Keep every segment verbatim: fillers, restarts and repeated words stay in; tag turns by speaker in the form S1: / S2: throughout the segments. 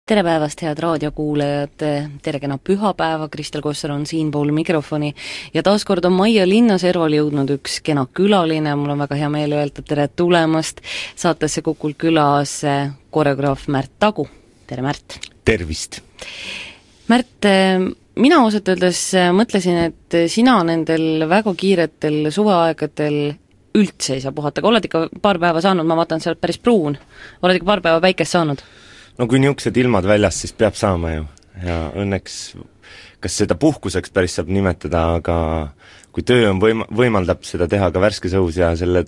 S1: Tere päevast, head raadiokuulajad, tere kena pühapäeva, Kristel Kossar on siinpool mikrofoni ja taaskord on Maia Linnaserval jõudnud üks kena külaline, mul on väga hea meel öelda tere tulemast saatesse Kukul külas koreograaf Märt Tagu. Tere Märt!
S2: Tervist!
S1: Märt, mina ausalt öeldes mõtlesin, et sina nendel väga kiiretel suveaegadel üldse ei saa puhata, aga oled ikka paar päeva saanud, ma vaatan, sa oled päris pruun, oled ikka paar päeva päikest saanud?
S2: No kui niisugused ilmad väljas, siis peab saama ju. Ja õnneks, kas seda puhkuseks päris saab nimetada, aga kui töö on võim- võimaldab seda teha ka värskes õhus ja selle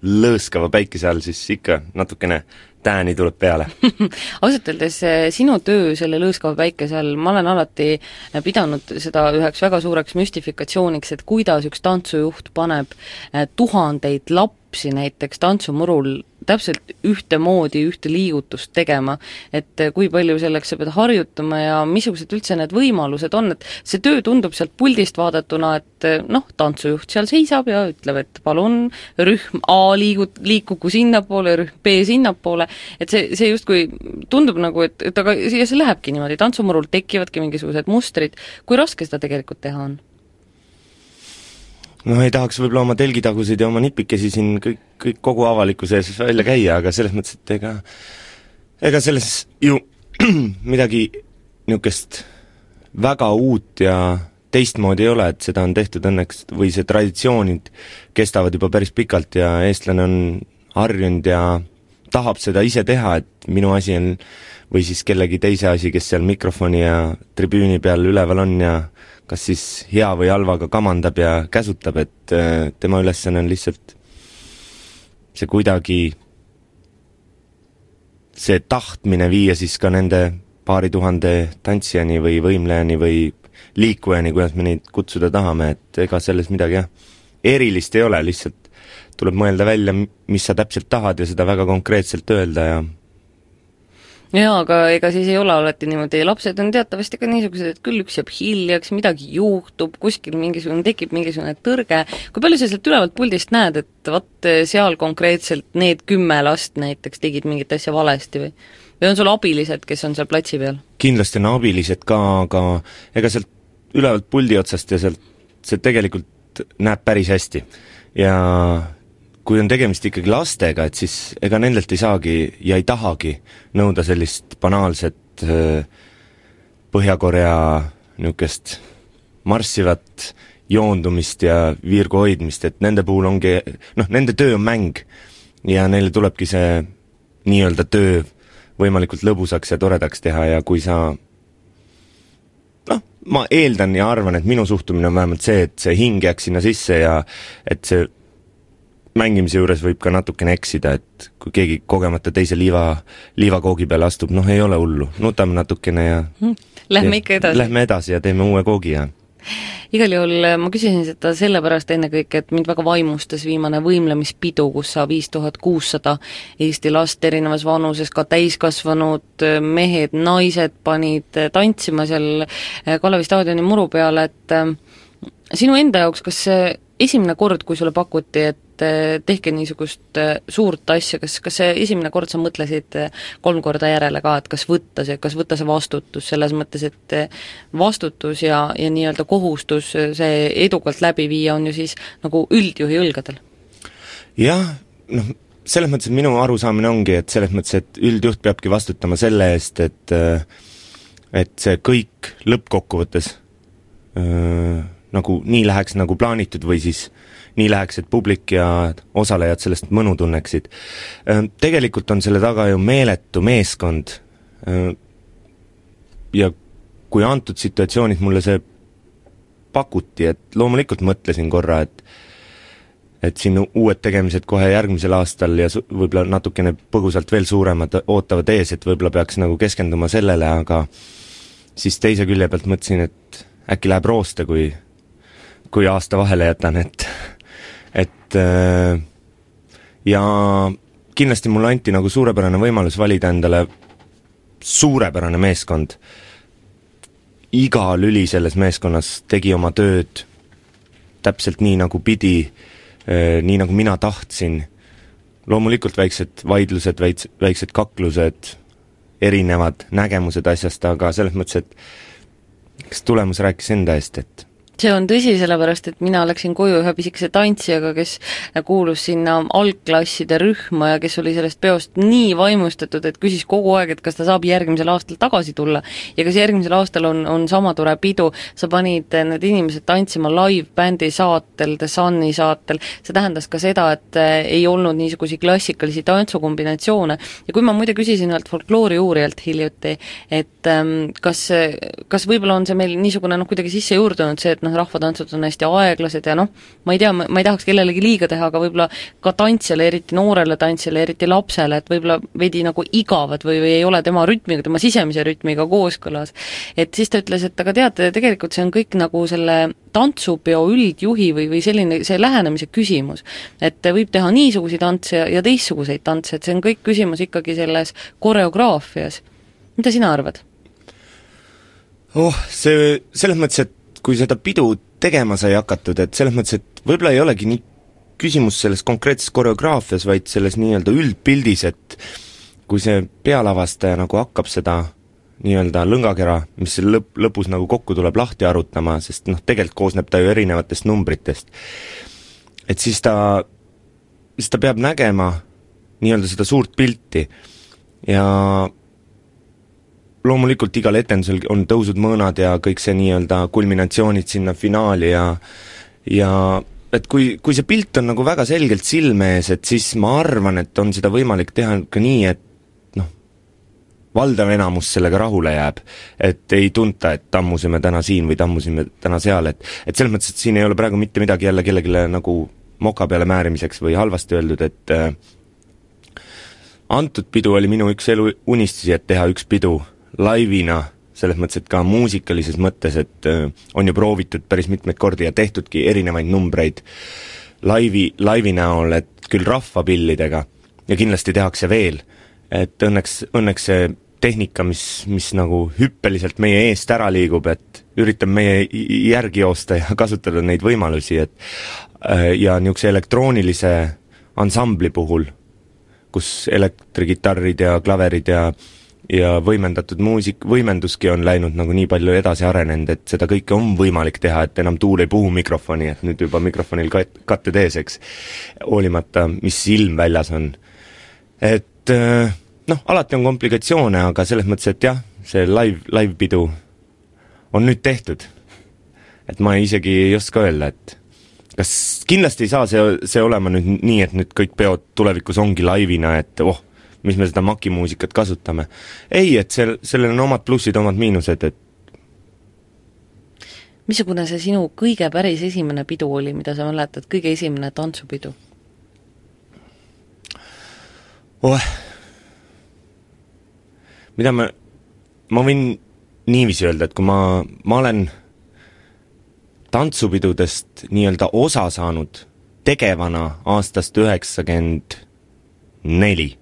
S2: lõõskava päikese all, siis ikka natukene tääni tuleb peale.
S1: Ausalt öeldes sinu töö selle lõõskava päikese all, ma olen alati pidanud seda üheks väga suureks müstifikatsiooniks, et kuidas üks tantsujuht paneb tuhandeid lapsi näiteks tantsumurul täpselt ühte moodi, ühte liigutust tegema, et kui palju selleks sa pead harjutama ja missugused üldse need võimalused on, et see töö tundub sealt puldist vaadatuna, et noh, tantsujuht seal seisab ja ütleb, et palun rühm A liigut, liikugu sinnapoole, rühm B sinnapoole, et see, see justkui tundub nagu, et, et aga ja see lähebki niimoodi, tantsumurul tekivadki mingisugused mustrid, kui raske seda tegelikult teha on?
S2: No ei tahaks võib-olla oma telgitagusid ja oma nipikesi siin kõik, kõik kogu avalikkuse ees välja käia, aga selles mõttes, et ega ega selles ju midagi niisugust väga uut ja teistmoodi ei ole, et seda on tehtud õnneks, või see traditsioonid kestavad juba päris pikalt ja eestlane on harjunud ja tahab seda ise teha, et minu asi on, või siis kellegi teise asi, kes seal mikrofoni ja tribüüni peal üleval on ja kas siis hea või halvaga kamandab ja käsutab, et tema ülesanne on lihtsalt see kuidagi see tahtmine viia siis ka nende paari tuhande tantsijani või võimlejani või liikujani, kuidas me neid kutsuda tahame, et ega selles midagi jah, erilist ei ole, lihtsalt tuleb mõelda välja, mis sa täpselt tahad ja seda väga konkreetselt öelda ja
S1: jaa, aga ega siis ei ole alati niimoodi, lapsed on teatavasti ka niisugused, et küll üks jääb hiljaks, midagi juhtub, kuskil mingisugune, tekib mingisugune tõrge, kui palju sa sealt ülevalt puldist näed, et vaat seal konkreetselt need kümme last näiteks tegid mingit asja valesti või? Või on sul abilised, kes on seal platsi peal?
S2: Kindlasti on abilised ka, aga ega sealt ülevalt puldi otsast ja sealt see tegelikult näeb päris hästi ja kui on tegemist ikkagi lastega, et siis ega nendelt ei saagi ja ei tahagi nõuda sellist banaalset Põhja-Korea niisugust marssivat joondumist ja viirgu hoidmist, et nende puhul ongi, noh, nende töö on mäng ja neile tulebki see nii-öelda töö võimalikult lõbusaks ja toredaks teha ja kui sa noh, ma eeldan ja arvan, et minu suhtumine on vähemalt see, et see hing jääks sinna sisse ja et see mängimise juures võib ka natukene eksida, et kui keegi kogemata teise liiva, liivakoogi peale astub, noh ei ole hullu, nutame natukene ja
S1: Lähme ikka edasi.
S2: Lähme edasi ja teeme uue koogi ja
S1: igal juhul ma küsisin seda sellepärast ennekõike, et mind väga vaimustas viimane võimlemispidu, kus sa viis tuhat kuussada Eesti last erinevas vanuses, ka täiskasvanud mehed, naised panid tantsima seal Kalevi staadioni muru peale, et sinu enda jaoks, kas see esimene kord, kui sulle pakuti, et tehke niisugust suurt asja, kas, kas see esimene kord sa mõtlesid kolm korda järele ka, et kas võtta see, kas võtta see vastutus, selles mõttes, et vastutus ja, ja nii-öelda kohustus see edukalt läbi viia on ju siis nagu üldjuhi õlgadel?
S2: Jah, noh, selles mõttes, et minu arusaamine ongi, et selles mõttes, et üldjuht peabki vastutama selle eest, et et see kõik lõppkokkuvõttes öö, nagu nii läheks nagu plaanitud või siis nii läheks, et publik ja osalejad sellest mõnu tunneksid. Tegelikult on selle taga ju meeletu meeskond ja kui antud situatsioonis mulle see pakuti, et loomulikult mõtlesin korra, et et siin uued tegemised kohe järgmisel aastal ja võib-olla natukene põgusalt veel suuremad ootavad ees, et võib-olla peaks nagu keskenduma sellele, aga siis teise külje pealt mõtlesin, et äkki läheb rooste, kui kui aasta vahele jätan, et et ja kindlasti mulle anti nagu suurepärane võimalus valida endale suurepärane meeskond. Iga lüli selles meeskonnas tegi oma tööd täpselt nii, nagu pidi, nii nagu mina tahtsin. Loomulikult väiksed vaidlused, väiksed kaklused erinevad nägemused asjast, aga selles mõttes, et kas tulemus rääkis enda eest, et
S1: see on tõsi, sellepärast et mina läksin koju ühe pisikese tantsijaga, kes kuulus sinna algklasside rühma ja kes oli sellest peost nii vaimustatud, et küsis kogu aeg, et kas ta saab järgmisel aastal tagasi tulla. Ja kas järgmisel aastal on, on sama tore pidu, sa panid need inimesed tantsima live-bändi saatel, The Sunni saatel, see tähendas ka seda, et ei olnud niisugusi klassikalisi tantsukombinatsioone. Ja kui ma muide küsisin ühelt folkloori uurijalt hiljuti, et kas, kas võib-olla on see meil niisugune noh, kuidagi sisse juurdunud see, et noh, rahvatantsud on hästi aeglased ja noh, ma ei tea, ma ei tahaks kellelegi liiga teha, aga võib-olla ka tantsijale, eriti noorele tantsijale, eriti lapsele, et võib-olla veidi nagu igavad või, või ei ole tema rütmiga, tema sisemise rütmiga kooskõlas. Et siis ta ütles, et aga teate, tegelikult see on kõik nagu selle tantsupeo üldjuhi või, või selline, see lähenemise küsimus. Et võib teha niisuguseid tantse ja, ja teistsuguseid tantse, et see on kõik küsimus ikkagi selles koreograafias. Mida sina arvad?
S2: Oh, see selles mõttes, et kui seda pidu tegema sai hakatud, et selles mõttes, et võib-olla ei olegi nii küsimus selles konkreetses koreograafias, vaid selles nii-öelda üldpildis, et kui see pealavastaja nagu hakkab seda nii-öelda lõngakera, mis lõp, lõpus nagu kokku tuleb lahti arutama, sest noh, tegelikult koosneb ta ju erinevatest numbritest. Et siis ta, siis ta peab nägema nii-öelda seda suurt pilti ja loomulikult igal etendusel on tõusud mõõnad ja kõik see nii-öelda kulminatsioonid sinna finaali ja ja et kui, kui see pilt on nagu väga selgelt silme ees, et siis ma arvan, et on seda võimalik teha ka nii, et noh, valdav enamus sellega rahule jääb. Et ei tunta, et tammusime täna siin või tammusime täna seal, et, et selles mõttes, et siin ei ole praegu mitte midagi jälle kellegile nagu moka peale määrimiseks või halvasti öeldud, et äh, antud pidu oli minu üks elu unistusi, et teha üks pidu laivina, selles mõttes, et ka muusikalises mõttes, et äh, on ju proovitud päris mitmeid kordi ja tehtudki erinevaid numbreid laivi, laivi näol, et küll rahvapillidega ja kindlasti tehakse veel, et õnneks, õnneks see tehnika, mis, mis nagu hüppeliselt meie eest ära liigub, et üritab meie järgi joosta ja kasutada neid võimalusi, et äh, ja niisuguse elektroonilise ansambli puhul, kus elektrigitarrid ja klaverid ja ja võimendatud muusik, võimenduski on läinud nagu nii palju edasi arenenud, et seda kõike on võimalik teha, et enam tuul ei puhu mikrofoni, et nüüd juba mikrofonil kat-, katted ees, eks, hoolimata, mis ilm väljas on. Et noh, alati on komplikatsioone, aga selles mõttes, et jah, see live, live pidu on nüüd tehtud. Et ma isegi ei oska öelda, et kas kindlasti ei saa see, see olema nüüd nii, et nüüd kõik peod tulevikus ongi laivina, et oh, mis me seda makimuusikat kasutame. Ei, et sel, sellel on omad plussid, omad miinused, et
S1: missugune see sinu kõige päris esimene pidu oli, mida sa mäletad, kõige esimene tantsupidu?
S2: Oh, mida ma, ma võin niiviisi öelda, et kui ma, ma olen tantsupidudest nii-öelda osa saanud tegevana aastast üheksakümmend neli.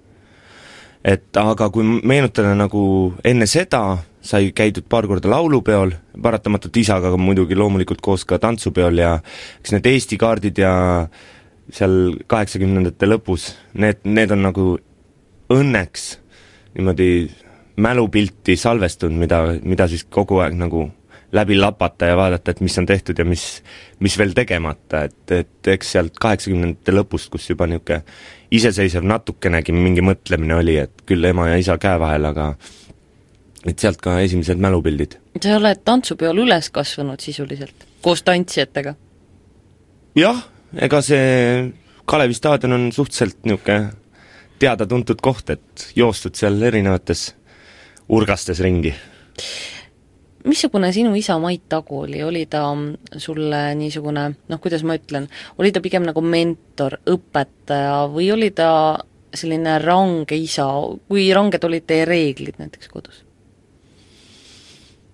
S2: Et aga kui meenutada nagu enne seda, sai käidud paar korda laulupeol, paratamatult isaga muidugi loomulikult koos ka tantsupeol ja eks need Eesti kaardid ja seal kaheksakümnendate lõpus, need, need on nagu õnneks niimoodi mälupilti salvestunud, mida, mida siis kogu aeg nagu läbi lapata ja vaadata, et mis on tehtud ja mis, mis veel tegemata, et, et eks sealt kaheksakümnendate lõpust, kus juba niisugune iseseisev natukenegi mingi mõtlemine oli, et küll ema ja isa käe vahel, aga et sealt ka esimesed mälupildid.
S1: Sa oled tantsupeol üles kasvanud sisuliselt, koos tantsijatega?
S2: Jah, ega see Kalevi staadion on suhteliselt niisugune teada-tuntud koht, et joostud seal erinevates urgastes ringi.
S1: Missugune sinu isa Mait Tagu oli, oli ta sulle niisugune, noh, kuidas ma ütlen, oli ta pigem nagu mentor, õpetaja või oli ta selline range isa, kui ranged olid teie reeglid näiteks kodus?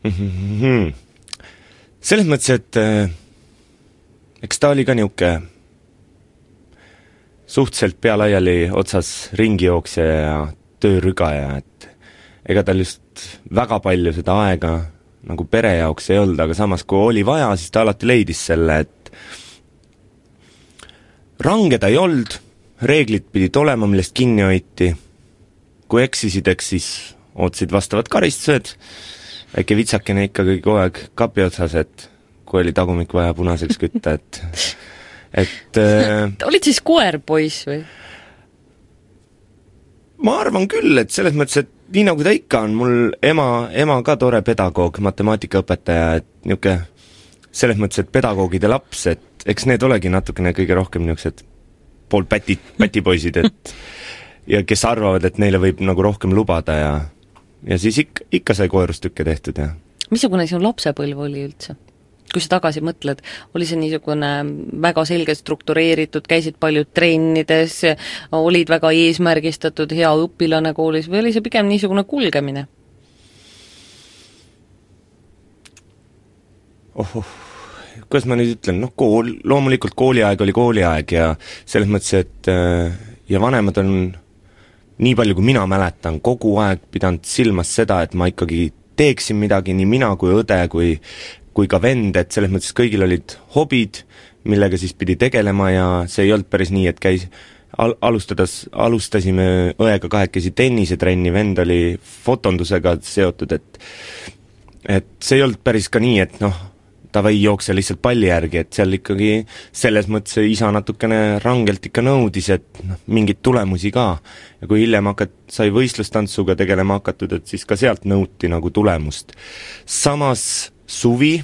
S2: Mm-hmm. Selles mõttes, et äh, eks ta oli ka niuke suhteliselt pealaiali otsas ringijooksja ja töörügaja, et ega tal just väga palju seda aega nagu pere jaoks ei olnud, aga samas kui oli vaja, siis ta alati leidis selle, et range ta ei olnud, reeglid pidid olema, millest kinni hoiti, kui eksisid, eks siis ootasid vastavad karistused, väike vitsakene ikkagi kogu aeg kapi otsas, et kui oli tagumik vaja punaseks kütta, et et äh,
S1: olid siis koerpoiss või?
S2: Ma arvan küll, et selles mõttes, et nii nagu ta ikka on, mul ema, ema ka tore pedagoog, matemaatikaõpetaja, et niuke selles mõttes, et pedagoogide laps, et eks need olegi natukene kõige rohkem niisugused pool päti, pätipoisid, et ja kes arvavad, et neile võib nagu rohkem lubada ja ja siis ikka, ikka sai koerustükke tehtud ja
S1: missugune sinu lapsepõlv oli üldse? Kui sa tagasi mõtled, oli see niisugune väga selgelt struktureeritud, käisid paljud trennides, olid väga eesmärgistatud, hea õpilane koolis või oli see pigem niisugune kulgemine?
S2: Ohoh, kuidas ma nüüd ütlen, noh kool, loomulikult kooliaeg oli kooliaeg ja selles mõttes, et ja vanemad on nii palju, kui mina mäletan, kogu aeg pidanud silmas seda, et ma ikkagi teeksin midagi, nii mina kui õde, kui kui ka vend, et selles mõttes kõigil olid hobid, millega siis pidi tegelema ja see ei olnud päris nii, et käis al-, alustades, alustasime õega kahekesi tennisetrenni, vend oli fotondusega seotud, et et see ei olnud päris ka nii, et noh, ta või jookse lihtsalt palli järgi, et seal ikkagi selles mõttes isa natukene rangelt ikka nõudis, et noh, mingeid tulemusi ka. Ja kui hiljem hakat-, sai võistlustantsuga tegelema hakatud, et siis ka sealt nõuti nagu tulemust. Samas suvi,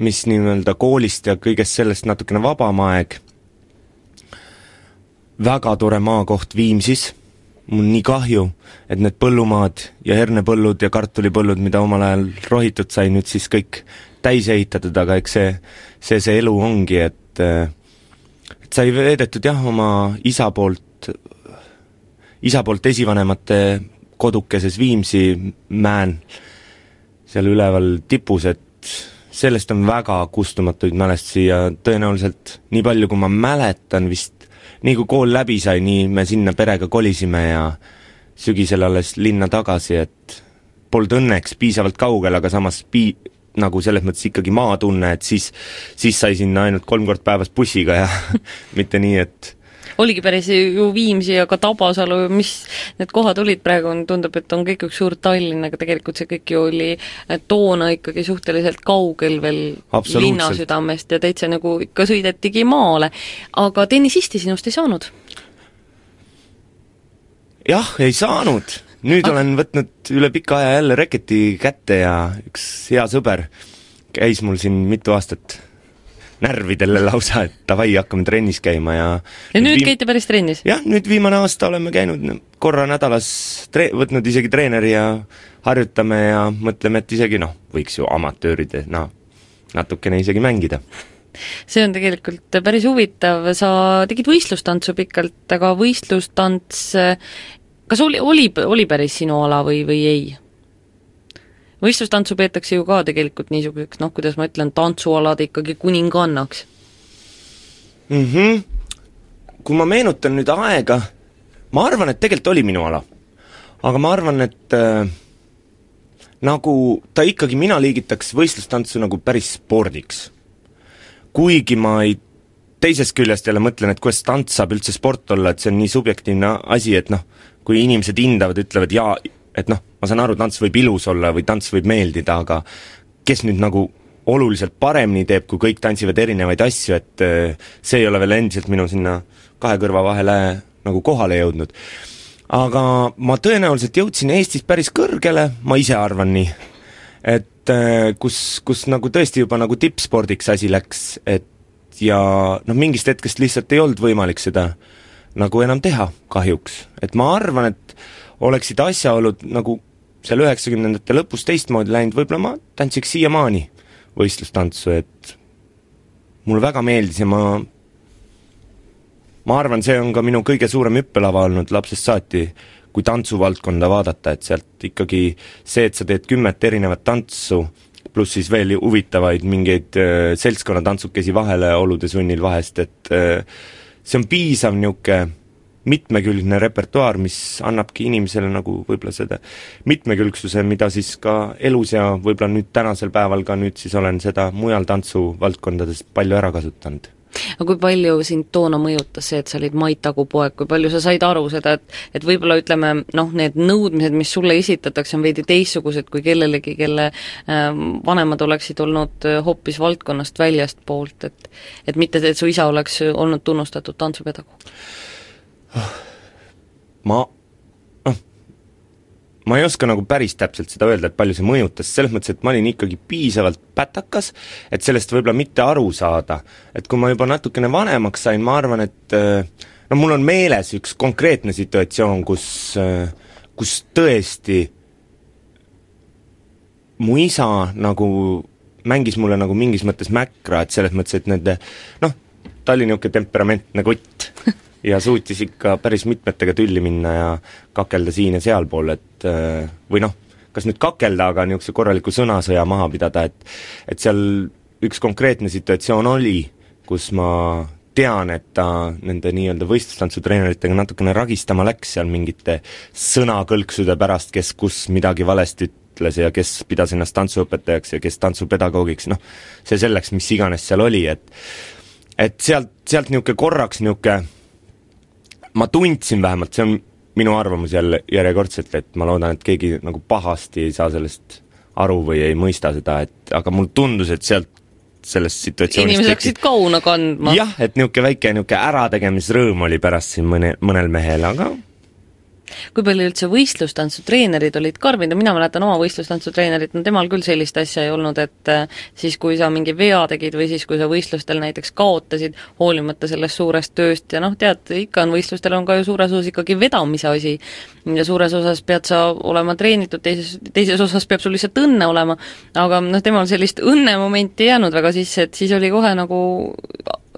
S2: mis nii-öelda koolist ja kõigest sellest natukene vabam aeg, väga tore maakoht Viimsis, mul nii kahju, et need põllumaad ja hernepõllud ja kartulipõllud, mida omal ajal rohitud sai, nüüd siis kõik täis ehitatud, aga eks see, see, see elu ongi, et, et sai veedetud jah, oma isa poolt, isa poolt esivanemate kodukeses Viimsi mäen, seal üleval tipus, et sellest on väga kustumatuid mälestusi ja tõenäoliselt nii palju, kui ma mäletan vist, nii kui kool läbi sai, nii me sinna perega kolisime ja sügisel alles linna tagasi, et polnud õnneks piisavalt kaugel, aga samas pii-, nagu selles mõttes ikkagi maatunne, et siis, siis sai sinna ainult kolm kord päevas bussiga ja mitte nii, et
S1: oligi päris ju Viimsi ja ka Tabasalu, mis need kohad olid praegu, tundub, et on kõik üks suur Tallinn, aga tegelikult see kõik ju oli toona ikkagi suhteliselt kaugel veel linnasüdamest ja täitsa nagu ikka sõidetigi maale. Aga tennisisti sinust ei saanud?
S2: Jah, ei saanud. Nüüd ah. olen võtnud üle pika aja jälle reketi kätte ja üks hea sõber käis mul siin mitu aastat närvidele lausa, et davai, hakkame trennis käima ja
S1: ja nüüd viim... käite päris trennis?
S2: Jah, nüüd viimane aasta oleme käinud korra nädalas, tre... võtnud isegi treeneri ja harjutame ja mõtleme, et isegi noh, võiks ju amatööride no, natukene isegi mängida.
S1: See on tegelikult päris huvitav, sa tegid võistlustantsu pikalt, aga võistlustants, kas oli, oli, oli päris sinu ala või, või ei? Võistlustantsu peetakse ju ka tegelikult niisuguseks, noh, kuidas ma ütlen, tantsualad ikkagi kuningannaks.
S2: Mm-hmm. Kui ma meenutan nüüd aega, ma arvan, et tegelikult oli minu ala. Aga ma arvan, et äh, nagu ta ikkagi mina liigitaks võistlustantsu nagu päris spordiks. Kuigi ma ei teisest küljest jälle mõtlen, et kuidas tants saab üldse sport olla, et see on nii subjektiivne asi, et noh, kui inimesed hindavad, ütlevad jaa, et noh, ma saan aru, tants võib ilus olla või tants võib meeldida, aga kes nüüd nagu oluliselt paremini teeb, kui kõik tantsivad erinevaid asju, et see ei ole veel endiselt minu sinna kahe kõrva vahele nagu kohale jõudnud. Aga ma tõenäoliselt jõudsin Eestis päris kõrgele, ma ise arvan nii, et kus, kus nagu tõesti juba nagu tippspordiks asi läks, et ja noh, mingist hetkest lihtsalt ei olnud võimalik seda nagu enam teha kahjuks, et ma arvan, et oleksid asjaolud nagu seal üheksakümnendate lõpus teistmoodi läinud, võib-olla ma tantsiks siiamaani võistlustantsu, et mulle väga meeldis ja ma ma arvan, see on ka minu kõige suurem hüppelava olnud lapsest saati, kui tantsuvaldkonda vaadata, et sealt ikkagi see, et sa teed kümmet erinevat tantsu, pluss siis veel huvitavaid mingeid äh, seltskonnatantsukesi vahele olude sunnil vahest, et äh, see on piisav niuke mitmekülgne repertuaar, mis annabki inimesele nagu võib-olla seda mitmekülgsuse, mida siis ka elus ja võib-olla nüüd tänasel päeval ka nüüd siis olen seda mujal tantsuvaldkondades palju ära kasutanud.
S1: aga kui palju sind toona mõjutas see, et sa olid Mait Tagu poeg, kui palju sa said aru seda, et et võib-olla ütleme, noh, need nõudmised, mis sulle esitatakse, on veidi teistsugused kui kellelegi, kelle äh, vanemad oleksid olnud hoopis valdkonnast väljast poolt, et et mitte, et su isa oleks olnud tunnustatud tantsupedagoog?
S2: Ma ma ei oska nagu päris täpselt seda öelda, et palju see mõjutas, selles mõttes, et ma olin ikkagi piisavalt pätakas, et sellest võib-olla mitte aru saada. Et kui ma juba natukene vanemaks sain, ma arvan, et no mul on meeles üks konkreetne situatsioon, kus, kus tõesti mu isa nagu mängis mulle nagu mingis mõttes mäkra, et selles mõttes, et nende, noh, ta oli niisugune temperamentne kutt ja suutis ikka päris mitmetega tülli minna ja kakelda siin ja sealpool, et või noh, kas nüüd kakelda, aga niisuguse korraliku sõnasõja maha pidada, et et seal üks konkreetne situatsioon oli, kus ma tean, et ta nende nii-öelda võistlustantsutreeneritega natukene ragistama läks seal mingite sõnakõlksude pärast, kes kus midagi valesti ütles ja kes pidas ennast tantsuõpetajaks ja kes tantsupedagoogiks, noh, see selleks, mis iganes seal oli, et et sealt, sealt niisugune korraks niisugune ma tundsin vähemalt, see on minu arvamus jälle järjekordselt, et ma loodan, et keegi nagu pahasti ei saa sellest aru või ei mõista seda, et aga mul tundus, et sealt sellest situatsioonist
S1: inimesed hakkasid kauna kandma.
S2: jah, et niisugune väike niisugune ärategemisrõõm oli pärast siin mõne, mõnel mehel, aga
S1: kui palju üldse võistlustantsutreenerid olid karmid ja mina mäletan oma võistlustantsutreenerit, no temal küll sellist asja ei olnud, et siis kui sa mingi vea tegid või siis kui sa võistlustel näiteks kaotasid, hoolimata sellest suurest tööst ja noh, tead, ikka on võistlustel on ka ju suures osas ikkagi vedamise asi ja suures osas pead sa olema treenitud, teises, teises osas peab sul lihtsalt õnne olema, aga noh, temal sellist õnnemomenti ei jäänud väga sisse, et siis oli kohe nagu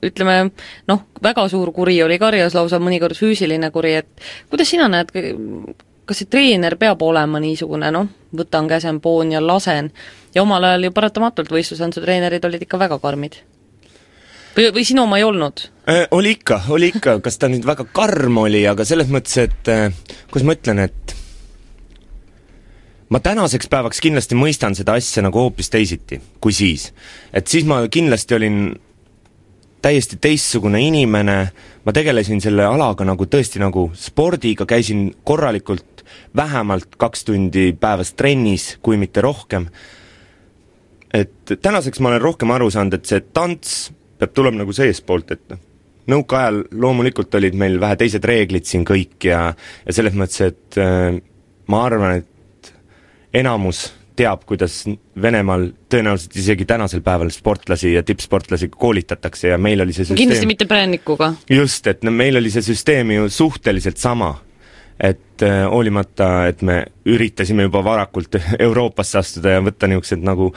S1: ütleme, noh, väga suur kuri oli karjas, lausa mõnikord füüsiline kuri, et kuidas sina näed, kas see treener peab olema niisugune, noh, võtan käsen, poon ja lasen, ja omal ajal ju paratamatult võistlustantsutreenerid olid ikka väga karmid? Või, või sinu oma ei olnud?
S2: Äh, oli ikka, oli ikka, kas ta nüüd väga karm oli, aga selles mõttes, et äh, kuidas ma ütlen, et ma tänaseks päevaks kindlasti mõistan seda asja nagu hoopis teisiti kui siis. Et siis ma kindlasti olin täiesti teistsugune inimene, ma tegelesin selle alaga nagu tõesti nagu spordiga, käisin korralikult vähemalt kaks tundi päevas trennis, kui mitte rohkem. Et tänaseks ma olen rohkem aru saanud, et see tants peab tulema nagu seespoolt, et nõukaajal loomulikult olid meil vähe teised reeglid siin kõik ja, ja selles mõttes, et äh, ma arvan, et enamus teab, kuidas Venemaal tõenäoliselt isegi tänasel päeval sportlasi ja tippsportlasi koolitatakse ja meil oli see süsteem
S1: kindlasti mitte prännikuga.
S2: Just, et no, meil oli see süsteem ju suhteliselt sama, et äh, hoolimata, et me üritasime juba varakult Euroopasse astuda ja võtta niisugused nagu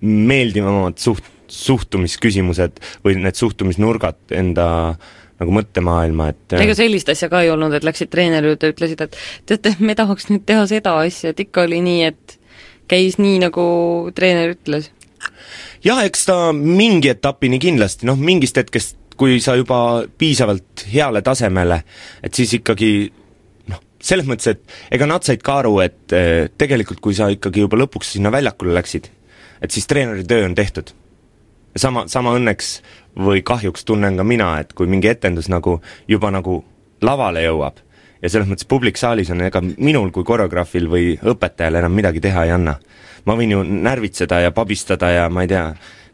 S2: meeldivamad suht, suhtumisküsimused või need suhtumisnurgad enda nagu mõttemaailma, et
S1: ega sellist asja ka ei olnud, et läksid treeneri juurde ja ütlesid, et teate, me tahaks nüüd teha seda asja, et ikka oli nii, et käis nii, nagu treener ütles?
S2: jah, eks ta mingi etapini kindlasti, noh, mingist hetkest, kui sa juba piisavalt heale tasemele, et siis ikkagi noh, selles mõttes, et ega nad said ka aru, et eh, tegelikult kui sa ikkagi juba lõpuks sinna väljakule läksid, et siis treeneri töö on tehtud. Sama, sama õnneks või kahjuks tunnen ka mina, et kui mingi etendus nagu juba nagu lavale jõuab, ja selles mõttes publik saalis on, ega minul kui koreograafil või õpetajal enam midagi teha ei anna. Ma võin ju närvitseda ja pabistada ja ma ei tea,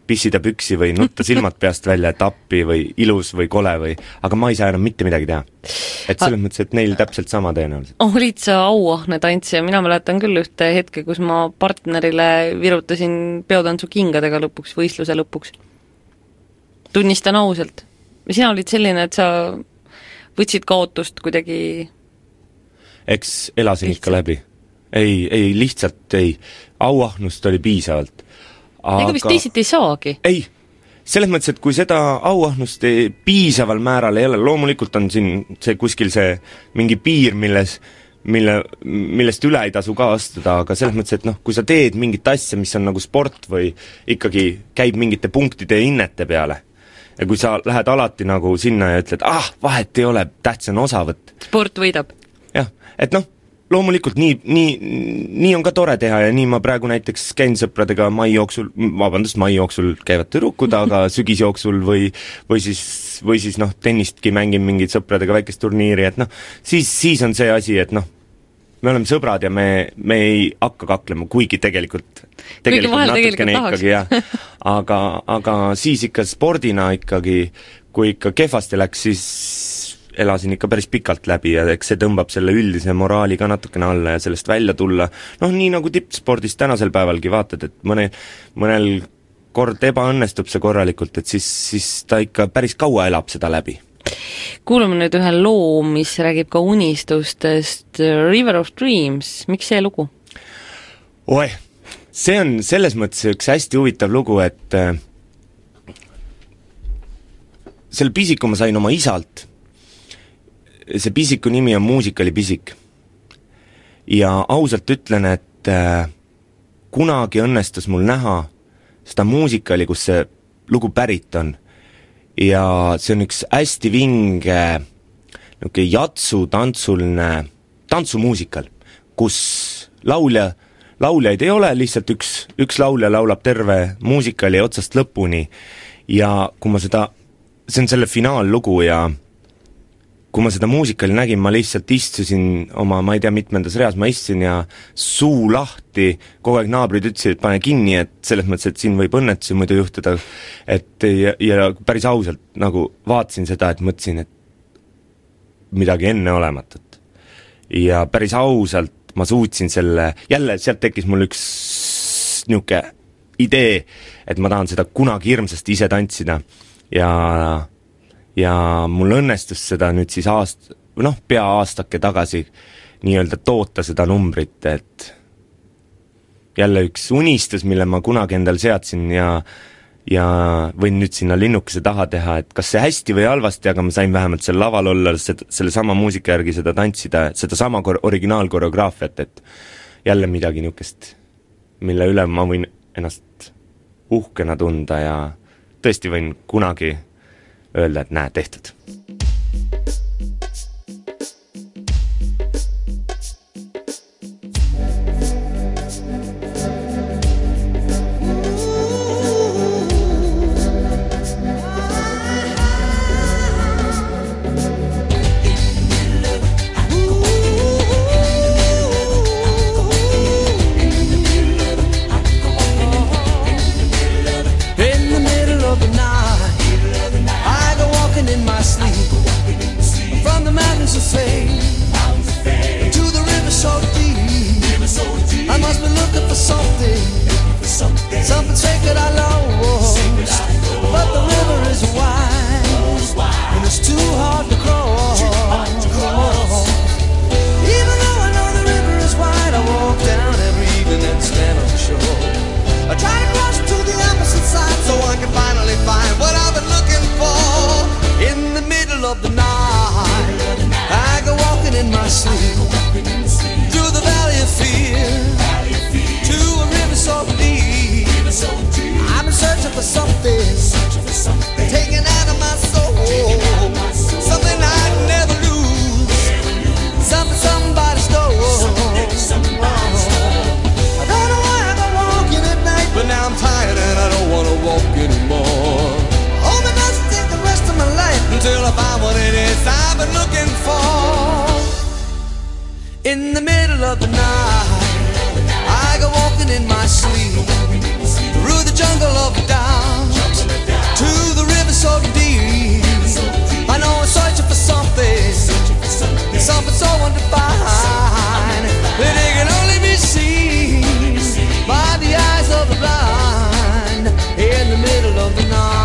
S2: pissida püksi või nutta silmad peast välja, et appi või ilus või kole või, aga ma ei saa enam mitte midagi teha. Et selles mõttes, et neil täpselt sama tõenäoliselt.
S1: Olid sa auahne tantsija, mina mäletan küll ühte hetke, kus ma partnerile virutasin peotantsu kingadega lõpuks, võistluse lõpuks. Tunnistan ausalt. Sina olid selline, et sa võtsid kaotust kuidagi
S2: eks elasin
S1: lihtsalt.
S2: Ikka läbi. Ei, ei, lihtsalt ei. Auahnust oli piisavalt.
S1: Aga ega vist teisiti ei saagi?
S2: Ei, selles mõttes, et kui seda auahnust ei, piisaval määral ei ole, loomulikult on siin see kuskil see mingi piir, milles, mille, millest üle ei tasu ka astuda, aga selles mõttes, et noh, kui sa teed mingit asja, mis on nagu sport või ikkagi käib mingite punktide ja hinnete peale, ja kui sa lähed alati nagu sinna ja ütled, ah, vahet ei ole, tähtis on osavõtt.
S1: Sport võidab.
S2: jah, et noh, loomulikult nii, nii, nii on ka tore teha ja nii ma praegu näiteks käin sõpradega mai jooksul, vabandust, mai jooksul käivad tüdrukud, aga sügisjooksul või, või siis, või siis noh, tennistki mängin mingid sõpradega väikest turniiri, et noh, siis, siis on see asi, et noh, me oleme sõbrad ja me, me ei hakka kaklema, kuigi tegelikult, tegelikult natukene ikkagi, jah. Aga, aga siis ikka spordina ikkagi, kui ikka kehvasti läks, siis elasin ikka päris pikalt läbi ja eks see tõmbab selle üldise moraali ka natukene alla ja sellest välja tulla. Noh, nii nagu tippspordis tänasel päevalgi vaatad, et mõne, mõnel kord ebaõnnestub see korralikult, et siis, siis ta ikka päris kaua elab seda läbi.
S1: Kuulame nüüd ühe loo, mis räägib ka unistustest, River of Dreams, miks see lugu?
S2: Oe, see on selles mõttes üks hästi huvitav lugu, et äh, selle pisiku ma sain oma isalt. See pisiku nimi on Muusikalipisik. Ja ausalt ütlen, et äh, kunagi õnnestus mul näha seda muusikali, kus see lugu pärit on. Ja see on üks hästi vinge niisugune jatsu tantsuline tantsumuusikal, kus laulja, lauljaid ei ole, lihtsalt üks, üks laulja laulab terve muusikali otsast lõpuni ja kui ma seda, see on selle finaallugu ja kui ma seda muusikali nägin, ma lihtsalt istusin oma, ma ei tea, mitmendas reas ma istusin ja suu lahti, kogu aeg naabrid ütlesid, et pane kinni, et selles mõttes, et siin võib õnnetusi muidu juhtuda, et ja, ja päris ausalt nagu vaatasin seda, et mõtlesin, et midagi enneolematut. Ja päris ausalt ma suutsin selle, jälle sealt tekkis mul üks niuke idee, et ma tahan seda kunagi hirmsasti ise tantsida ja ja mul õnnestus seda nüüd siis aast-, noh, pea aastake tagasi nii-öelda toota seda numbrit, et jälle üks unistus, mille ma kunagi endal seadsin ja, ja võin nüüd sinna linnukese taha teha, et kas see hästi või halvasti, aga ma sain vähemalt seal laval olla seda, selle sama muusika järgi seda tantsida, seda sama kor- originaalkoreograafiat, et jälle midagi niukest, mille üle ma võin ennast uhkena tunda ja tõesti võin kunagi öelda, et näe, tehtud.
S3: In the middle of the night, I go walking in my sleep through the jungle of doubt to the river so deep. I know I'm searching for something, something so undefined that it can only be seen by the eyes of the blind. In the middle of the night.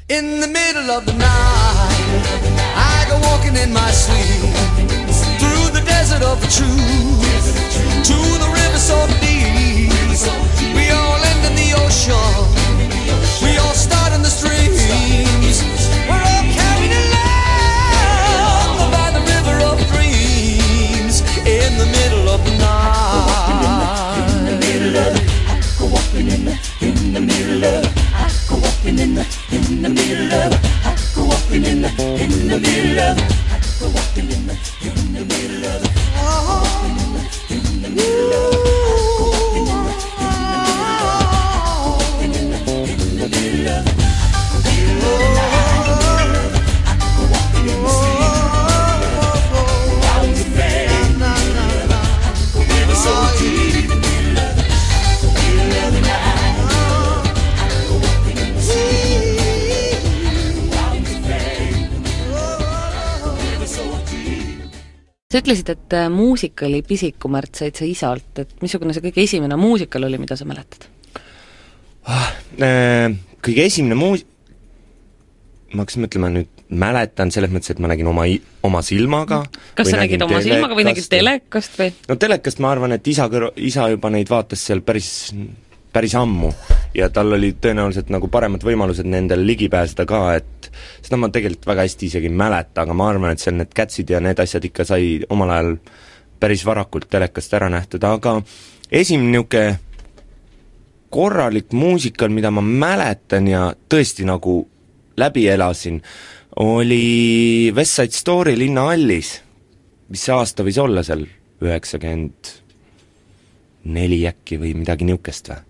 S3: In the middle of the night, I go walking in my sleep through the desert of the truth to the river so deep. We all end in the ocean. We all start in the streams. We're all carried along by the river of dreams in the middle of the night. In the middle of it, I go walking in the in the middle of it. I go walking in the in the middle of it. I go walking in the in the middle of it. I go walking in the in the middle of it. Oh, in the middle of it.
S1: Sa ütlesid, et muusikali Pisikumärts said sa isalt, et missugune see kõige esimene muusikal oli, mida sa mäletad?
S2: Ah, äh, kõige esimene muus-, ma hakkasin mõtlema nüüd, mäletan selles mõttes, et ma nägin oma, oma silmaga.
S1: Kas sa nägid oma silmaga või nägid telekast või?
S2: No telekast ma arvan, et isa, kõr- isa juba neid vaatas seal päris, päris ammu ja tal oli tõenäoliselt nagu paremad võimalused nendel ligi pääseda ka, et seda ma tegelikult väga hästi isegi ei mäleta, aga ma arvan, et seal need Catsid ja need asjad ikka sai omal ajal päris varakult telekast ära nähtud, aga esimene niisugune korralik muusikal, mida ma mäletan ja tõesti nagu läbi elasin, oli West Side Story Linnahallis, mis see aasta võis olla seal, üheksakümmend neli äkki või midagi niukest või?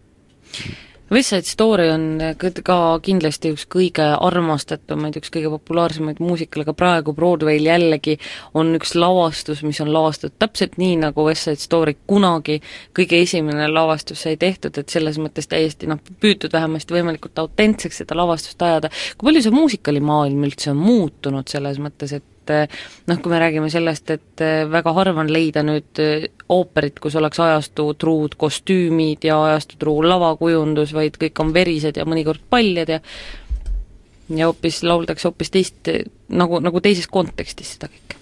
S1: West Side Story on ka kindlasti üks kõige armastatumaid, üks kõige populaarsemaid muusikal, aga praegu Broadway'l jällegi on üks lavastus, mis on lavastatud täpselt nii, nagu West Side Story kunagi kõige esimene lavastus sai tehtud, et selles mõttes täiesti noh, püütud vähemasti võimalikult autentseks seda lavastust ajada. Kui palju see muusikalimaailm üldse on muutunud selles mõttes, et noh, kui me räägime sellest, et väga harva on leida nüüd ooperit, kus oleks ajastu truud kostüümid ja ajastu truu lavakujundus, vaid kõik on verised ja mõnikord paljad ja ja hoopis lauldakse hoopis teist, nagu, nagu teises kontekstis seda kõike.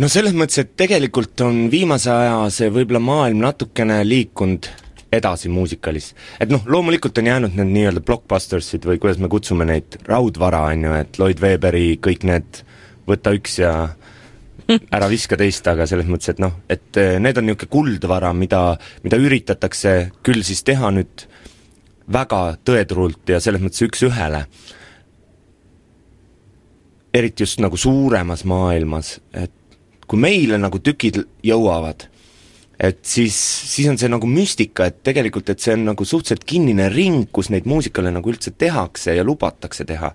S2: No selles mõttes, et tegelikult on viimase aja see võib-olla maailm natukene liikunud edasi muusikalis. Et noh, loomulikult on jäänud need nii-öelda blockbustersid või kuidas me kutsume neid, raudvara on ju, et Lloyd Webberi kõik need võta üks ja ära viska teist, aga selles mõttes, et noh, et need on niisugune kuldvara, mida, mida üritatakse küll siis teha nüüd väga tõetrult ja selles mõttes üks ühele. Eriti just nagu suuremas maailmas, et kui meile nagu tükid jõuavad, et siis, siis on see nagu müstika, et tegelikult, et see on nagu suhteliselt kinnine ring, kus neid muusikale nagu üldse tehakse ja lubatakse teha.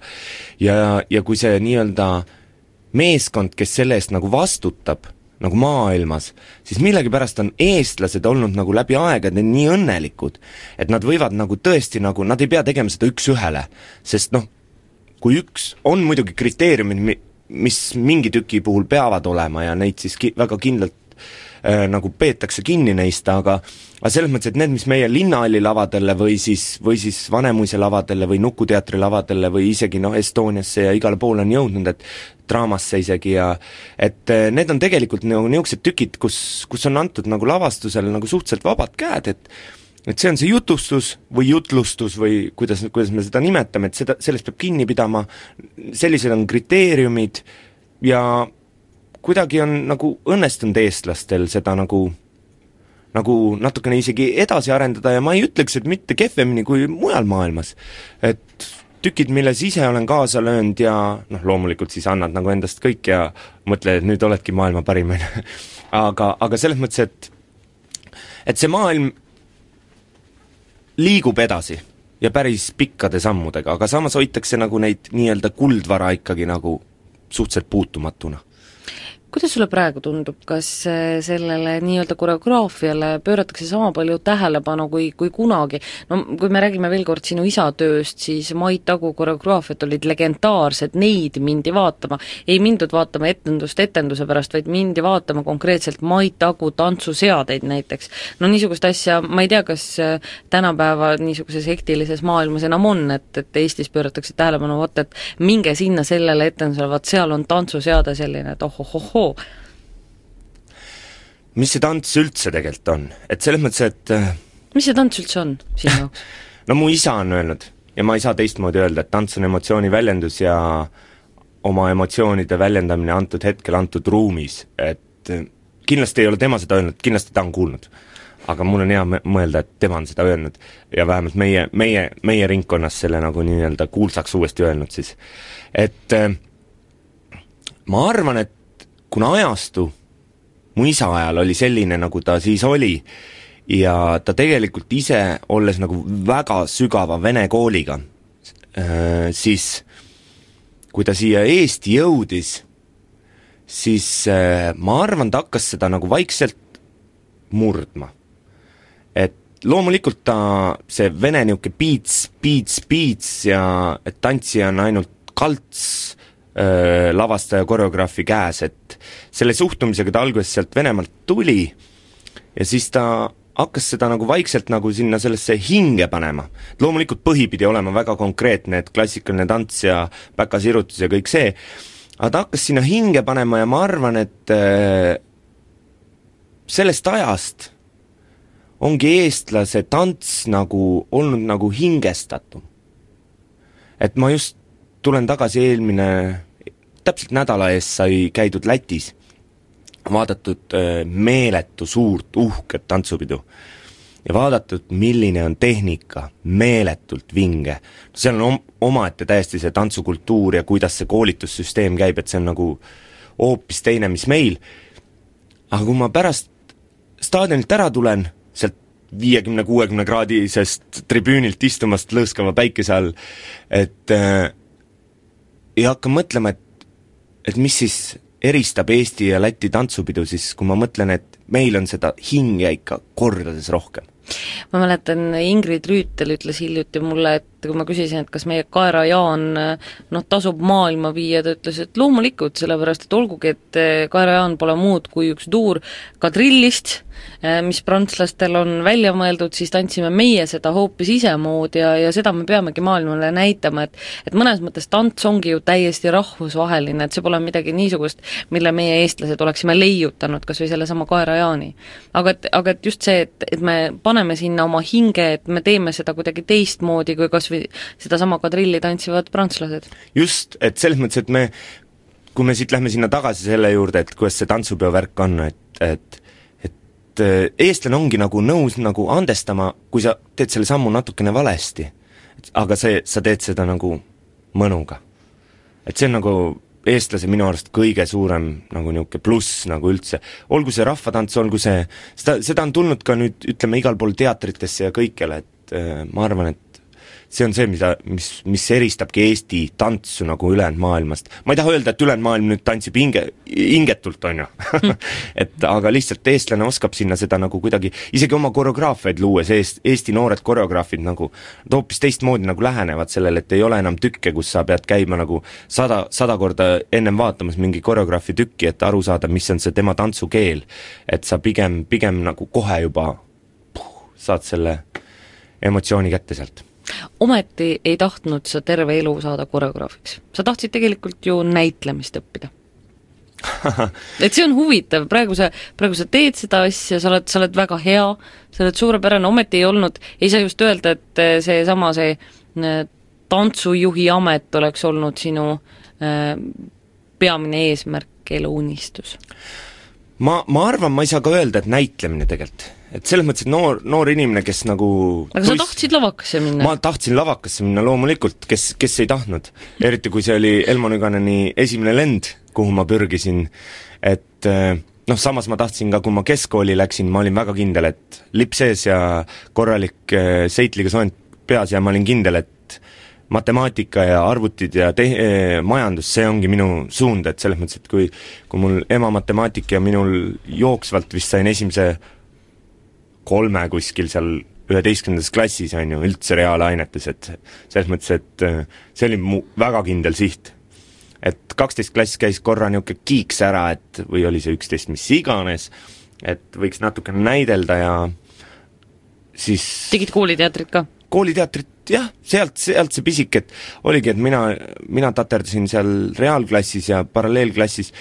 S2: Ja, ja kui see nii-öelda meeskond, kes selle eest nagu vastutab, nagu maailmas, siis millegipärast on eestlased olnud nagu läbi aegade nii õnnelikud, et nad võivad nagu tõesti nagu, nad ei pea tegema seda üks ühele, sest noh, kui üks on muidugi kriteeriumid, mis mingi tüki puhul peavad olema ja neid siis ki- väga kindlalt äh, nagu peetakse kinni neist, aga aga selles mõttes, et need, mis meie Linnahalli lavadele või siis, või siis Vanemuise lavadele või Nukuteatri lavadele või isegi noh, Estoniasse ja igale poole on jõudnud, et draamasse isegi ja et need on tegelikult nagu niisugused tükid, kus, kus on antud nagu lavastusele nagu suhteliselt vabad käed, et et see on see jutustus või jutlustus või kuidas, kuidas me seda nimetame, et seda, sellest peab kinni pidama, sellised on kriteeriumid ja kuidagi on nagu õnnestunud eestlastel seda nagu nagu natukene isegi edasi arendada ja ma ei ütleks, et mitte kehvemini kui mujal maailmas. Et tükid, milles ise olen kaasa löönud ja noh, loomulikult siis annad nagu endast kõik ja mõtle, et nüüd oledki maailma parim. aga, aga selles mõttes, et et see maailm liigub edasi ja päris pikkade sammudega, aga samas hoitakse nagu neid nii-öelda kuldvara ikkagi nagu suhteliselt puutumatuna.
S1: kuidas sulle praegu tundub, kas sellele nii-öelda koreograafiale pööratakse sama palju tähelepanu kui, kui kunagi? No kui me räägime veel kord sinu isa tööst, siis Mait Agu koreograafiad olid legendaarsed, neid mindi vaatama. Ei mindud vaatama etendust etenduse pärast, vaid mindi vaatama konkreetselt Mait Agu tantsuseadeid näiteks. No niisugust asja, ma ei tea, kas tänapäeva niisuguses hektilises maailmas enam on, et, et Eestis pööratakse tähelepanu, vaat, et minge sinna sellele etendusele, vaat seal on tantsuseade selline, et ohohohoo.
S2: Mis see tants üldse tegelikult on? Et selles mõttes, et
S1: mis see tants üldse on sinu jaoks?
S2: No mu isa on öelnud ja ma ei saa teistmoodi öelda, et tants on emotsiooni väljendus ja oma emotsioonide väljendamine antud hetkel, antud ruumis, et kindlasti ei ole tema seda öelnud, kindlasti ta on kuulnud, aga mul on hea mõelda, et tema on seda öelnud ja vähemalt meie, meie, meie ringkonnas selle nagu nii-öelda kuulsaks uuesti öelnud siis, et ma arvan, et kuna ajastu mu isa ajal oli selline, nagu ta siis oli, ja ta tegelikult ise, olles nagu väga sügava vene kooliga, siis kui ta siia Eesti jõudis, siis ma arvan, ta hakkas seda nagu vaikselt murdma. Et loomulikult ta, see vene niuke piits, piits, piits ja et tantsija on ainult kalts, lavastaja koreograafi käes, et selle suhtumisega ta alguses sealt Venemaalt tuli ja siis ta hakkas seda nagu vaikselt nagu sinna sellesse hinge panema. Loomulikult põhi pidi olema väga konkreetne, et klassikaline tants ja päkasirutus ja kõik see, aga ta hakkas sinna hinge panema ja ma arvan, et sellest ajast ongi eestlase tants nagu olnud nagu hingestatum. Et ma just tulen tagasi eelmine, täpselt nädala eest sai käidud Lätis, vaadatud meeletu suurt uhket tantsupidu ja vaadatud, milline on tehnika, meeletult vinge. Seal on omaette täiesti see tantsukultuur ja kuidas see koolitussüsteem käib, et see on nagu hoopis teine, mis meil. Aga kui ma pärast staadionilt ära tulen, sealt viiekümne kuuekümne kraadisest tribüünilt istumast lõõskava päikese all, et ja hakkan mõtlema, et, et mis siis eristab Eesti ja Läti tantsupidu, siis kui ma mõtlen, et meil on seda hinge ikka kordades rohkem.
S1: Ma mäletan, Ingrid Rüütel ütles hiljuti mulle, et kui ma küsisin, et kas meie Kaera Jaan noh, tasub maailma viia, ta ütles, et loomulikult, sellepärast, et olgugi, et Kaera Jaan pole muud kui üks tuur kadrillist, mis prantslastel on välja mõeldud, siis tantsime meie seda hoopis isemoodi ja, ja seda me peamegi maailmale näitama, et, et mõnes mõttes tants ongi ju täiesti rahvusvaheline, et see pole midagi niisugust, mille meie eestlased oleksime leiutanud, kas või selle sama Kaera Jaani. Aga et, aga et just see, et, et me paneme sinna oma hinge, et me teeme seda kuidagi teistmoodi, kui kas või seda sama kadrilli tantsivad prantslased.
S2: Just, et selles mõttes, et me, kui me siit lähme sinna tagasi selle juurde, et kuidas see tantsupeo värk on, et, et et eestlane ongi nagu nõus nagu andestama, kui sa teed selle sammu natukene valesti, aga see, sa teed seda nagu mõnuga. Et see on nagu eestlase minu arust kõige suurem nagu niuke pluss nagu üldse. Olgu see rahvatants, olgu see, seda, seda on tulnud ka nüüd, ütleme, igal pool teatritesse ja kõikjale, et äh, ma arvan, et see on see, mida, mis, mis eristabki Eesti tantsu nagu ülejäänud maailmast. Ma ei taha öelda, et ülejäänud maailm nüüd tantsib hinge, hingetult, on ju. et aga lihtsalt eestlane oskab sinna seda nagu kuidagi, isegi oma koreograafiaid luues, eest, Eesti noored koreograafid nagu hoopis teistmoodi nagu lähenevad sellele, et ei ole enam tükke, kus sa pead käima nagu sada, sada korda ennem vaatamas mingi koreograafi tükki, et aru saada, mis on see tema tantsukeel. Et sa pigem, pigem nagu kohe juba puh, saad selle emotsiooni kätte sealt.
S1: Ometi ei tahtnud sa terve elu saada koreograafiks. Sa tahtsid tegelikult ju näitlemist õppida. et see on huvitav, praegu sa, praegu sa teed seda asja, sa oled, sa oled väga hea, sa oled suurepärane, ometi ei olnud, ei saa just öelda, et see sama see tantsujuhi amet oleks olnud sinu äh, peamine eesmärk, eluunistus.
S2: Ma, ma arvan, ma ei saa ka öelda, et näitlemine tegelikult. Et selles mõttes, et noor, noor inimene, kes nagu
S1: aga sa tuis... tahtsid lavakasse minna?
S2: Ma tahtsin lavakasse minna loomulikult, kes, kes ei tahtnud. Eriti kui see oli Elmo Nüganeni esimene lend, kuhu ma pürgisin. Et noh, samas ma tahtsin ka, kui ma keskkooli läksin, ma olin väga kindel, et lipp sees ja korralik seitliga soent peas ja ma olin kindel, et matemaatika ja arvutid ja te-, majandus, see ongi minu suund, et selles mõttes, et kui kui mul ema matemaatika ja minul jooksvalt vist sain esimese kolme kuskil seal üheteistkümnendas klassis, on ju, üldse reaalainetes, et selles mõttes, et see oli mu väga kindel siht. Et kaksteist klass käis korra niisugune kiiks ära, et või oli see üksteist, mis iganes, et võiks natuke näidelda ja siis
S1: tegid kooliteatrit ka?
S2: Kooliteatrit, jah, sealt, sealt see pisik, et oligi, et mina, mina taterdasin seal reaalklassis ja paralleelklassis,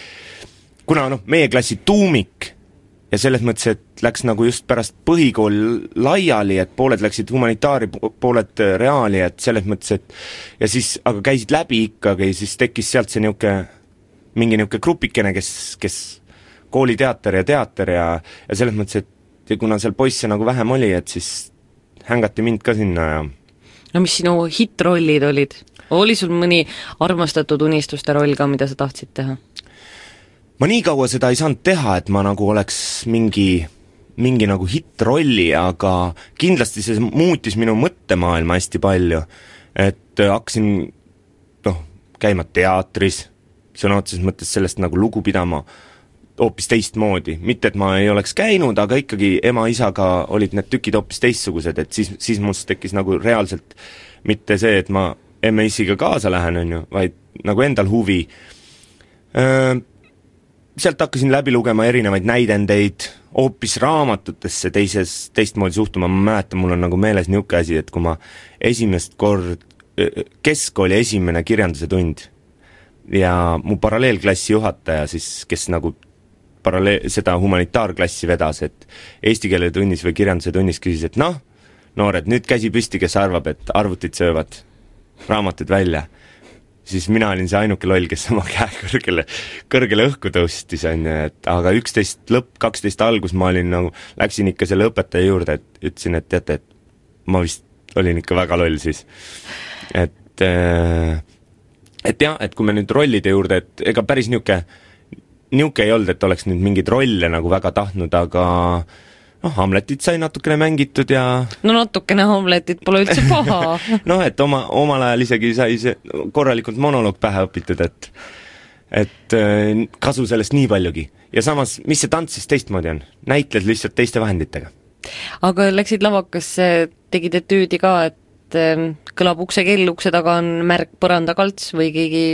S2: kuna noh, meie klassi tuumik ja selles mõttes, et läks nagu just pärast põhikool laiali, et pooled läksid humanitaari, pooled reaali, et selles mõttes, et ja siis, aga käisid läbi ikkagi, siis tekkis sealt see niuke, mingi niuke grupikene, kes, kes kooliteater ja teater ja, ja selles mõttes, et ja kuna seal poisse nagu vähem oli, et siis hängati mind ka sinna ja
S1: no mis sinu hitrollid olid? Oli sul mõni armastatud unistuste roll ka, mida sa tahtsid teha?
S2: Ma nii kaua seda ei saanud teha, et ma nagu oleks mingi, mingi nagu hitrolli, aga kindlasti see muutis minu mõttemaailma hästi palju, et hakkasin noh, käima teatris, sõna otseses mõttes sellest nagu lugu pidama hoopis teistmoodi, mitte et ma ei oleks käinud, aga ikkagi ema-isaga olid need tükid hoopis teistsugused, et siis, siis must tekkis nagu reaalselt mitte see, et ma emme-isiga kaasa lähen, on ju, vaid nagu endal huvi. Sealt hakkasin läbi lugema erinevaid näidendeid, hoopis raamatutesse teises, teistmoodi suhtuma, ma mäletan, mul on nagu meeles niuke asi, et kui ma esimest kord, keskkooli esimene kirjanduse tund ja mu paralleelklassi juhataja siis, kes nagu paralleel, seda humanitaarklassi vedas, et eesti keele tunnis või kirjanduse tunnis küsis, et noh, noored, nüüd käsi püsti, kes arvab, et arvutid söövad raamatud välja. Siis mina olin see ainuke loll, kes oma käe kõrgele, kõrgele õhku tõustis, on ju, et aga üksteist lõpp, kaksteist algus ma olin nagu, läksin ikka selle õpetaja juurde, et ütlesin, et teate, et ma vist olin ikka väga loll siis. Et et jah, et kui me nüüd rollide juurde, et ega päris niuke niuke ei olnud, et oleks nüüd mingeid rolle nagu väga tahtnud, aga noh, Hamletit sai natukene mängitud ja
S1: no natukene Hamletit pole üldse paha.
S2: noh, et oma, omal ajal isegi sai see korralikult monoloog pähe õpitud, et et kasu sellest nii paljugi. Ja samas, mis see tants siis teistmoodi on? Näitled lihtsalt teiste vahenditega.
S1: Aga läksid lavakasse, tegid etüüdi ka, et kõlab ukse kell, ukse taga on märk põrandakalts või keegi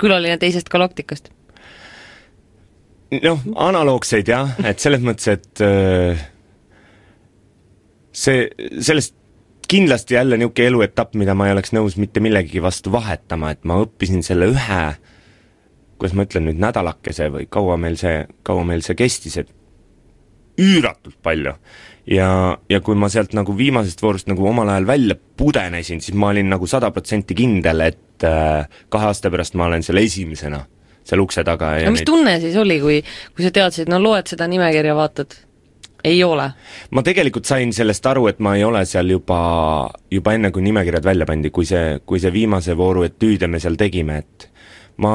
S1: külaline teisest galaktikast?
S2: Noh, analoogseid jah, et selles mõttes, et see, sellest kindlasti jälle niuke eluetapp, mida ma ei oleks nõus mitte millegi vastu vahetama, et ma õppisin selle ühe, kuidas ma ütlen nüüd, nädalakese või kaua meil see, kaua meil see kestis, et üüratult palju. Ja, ja kui ma sealt nagu viimasest voorust nagu omal ajal välja pudenesin, siis ma olin nagu sada protsenti kindel, et kahe aasta pärast ma olen seal esimesena seal ukse taga.
S1: Ja mis neid... tunne siis oli, kui, kui sa teadsid, no loed seda nimekirja, vaatad? Ei ole? Ma
S2: tegelikult sain sellest aru, et ma ei ole seal juba, juba enne, kui nimekirjad välja pandi, kui see, kui see viimase vooru etüüde me seal tegime, et ma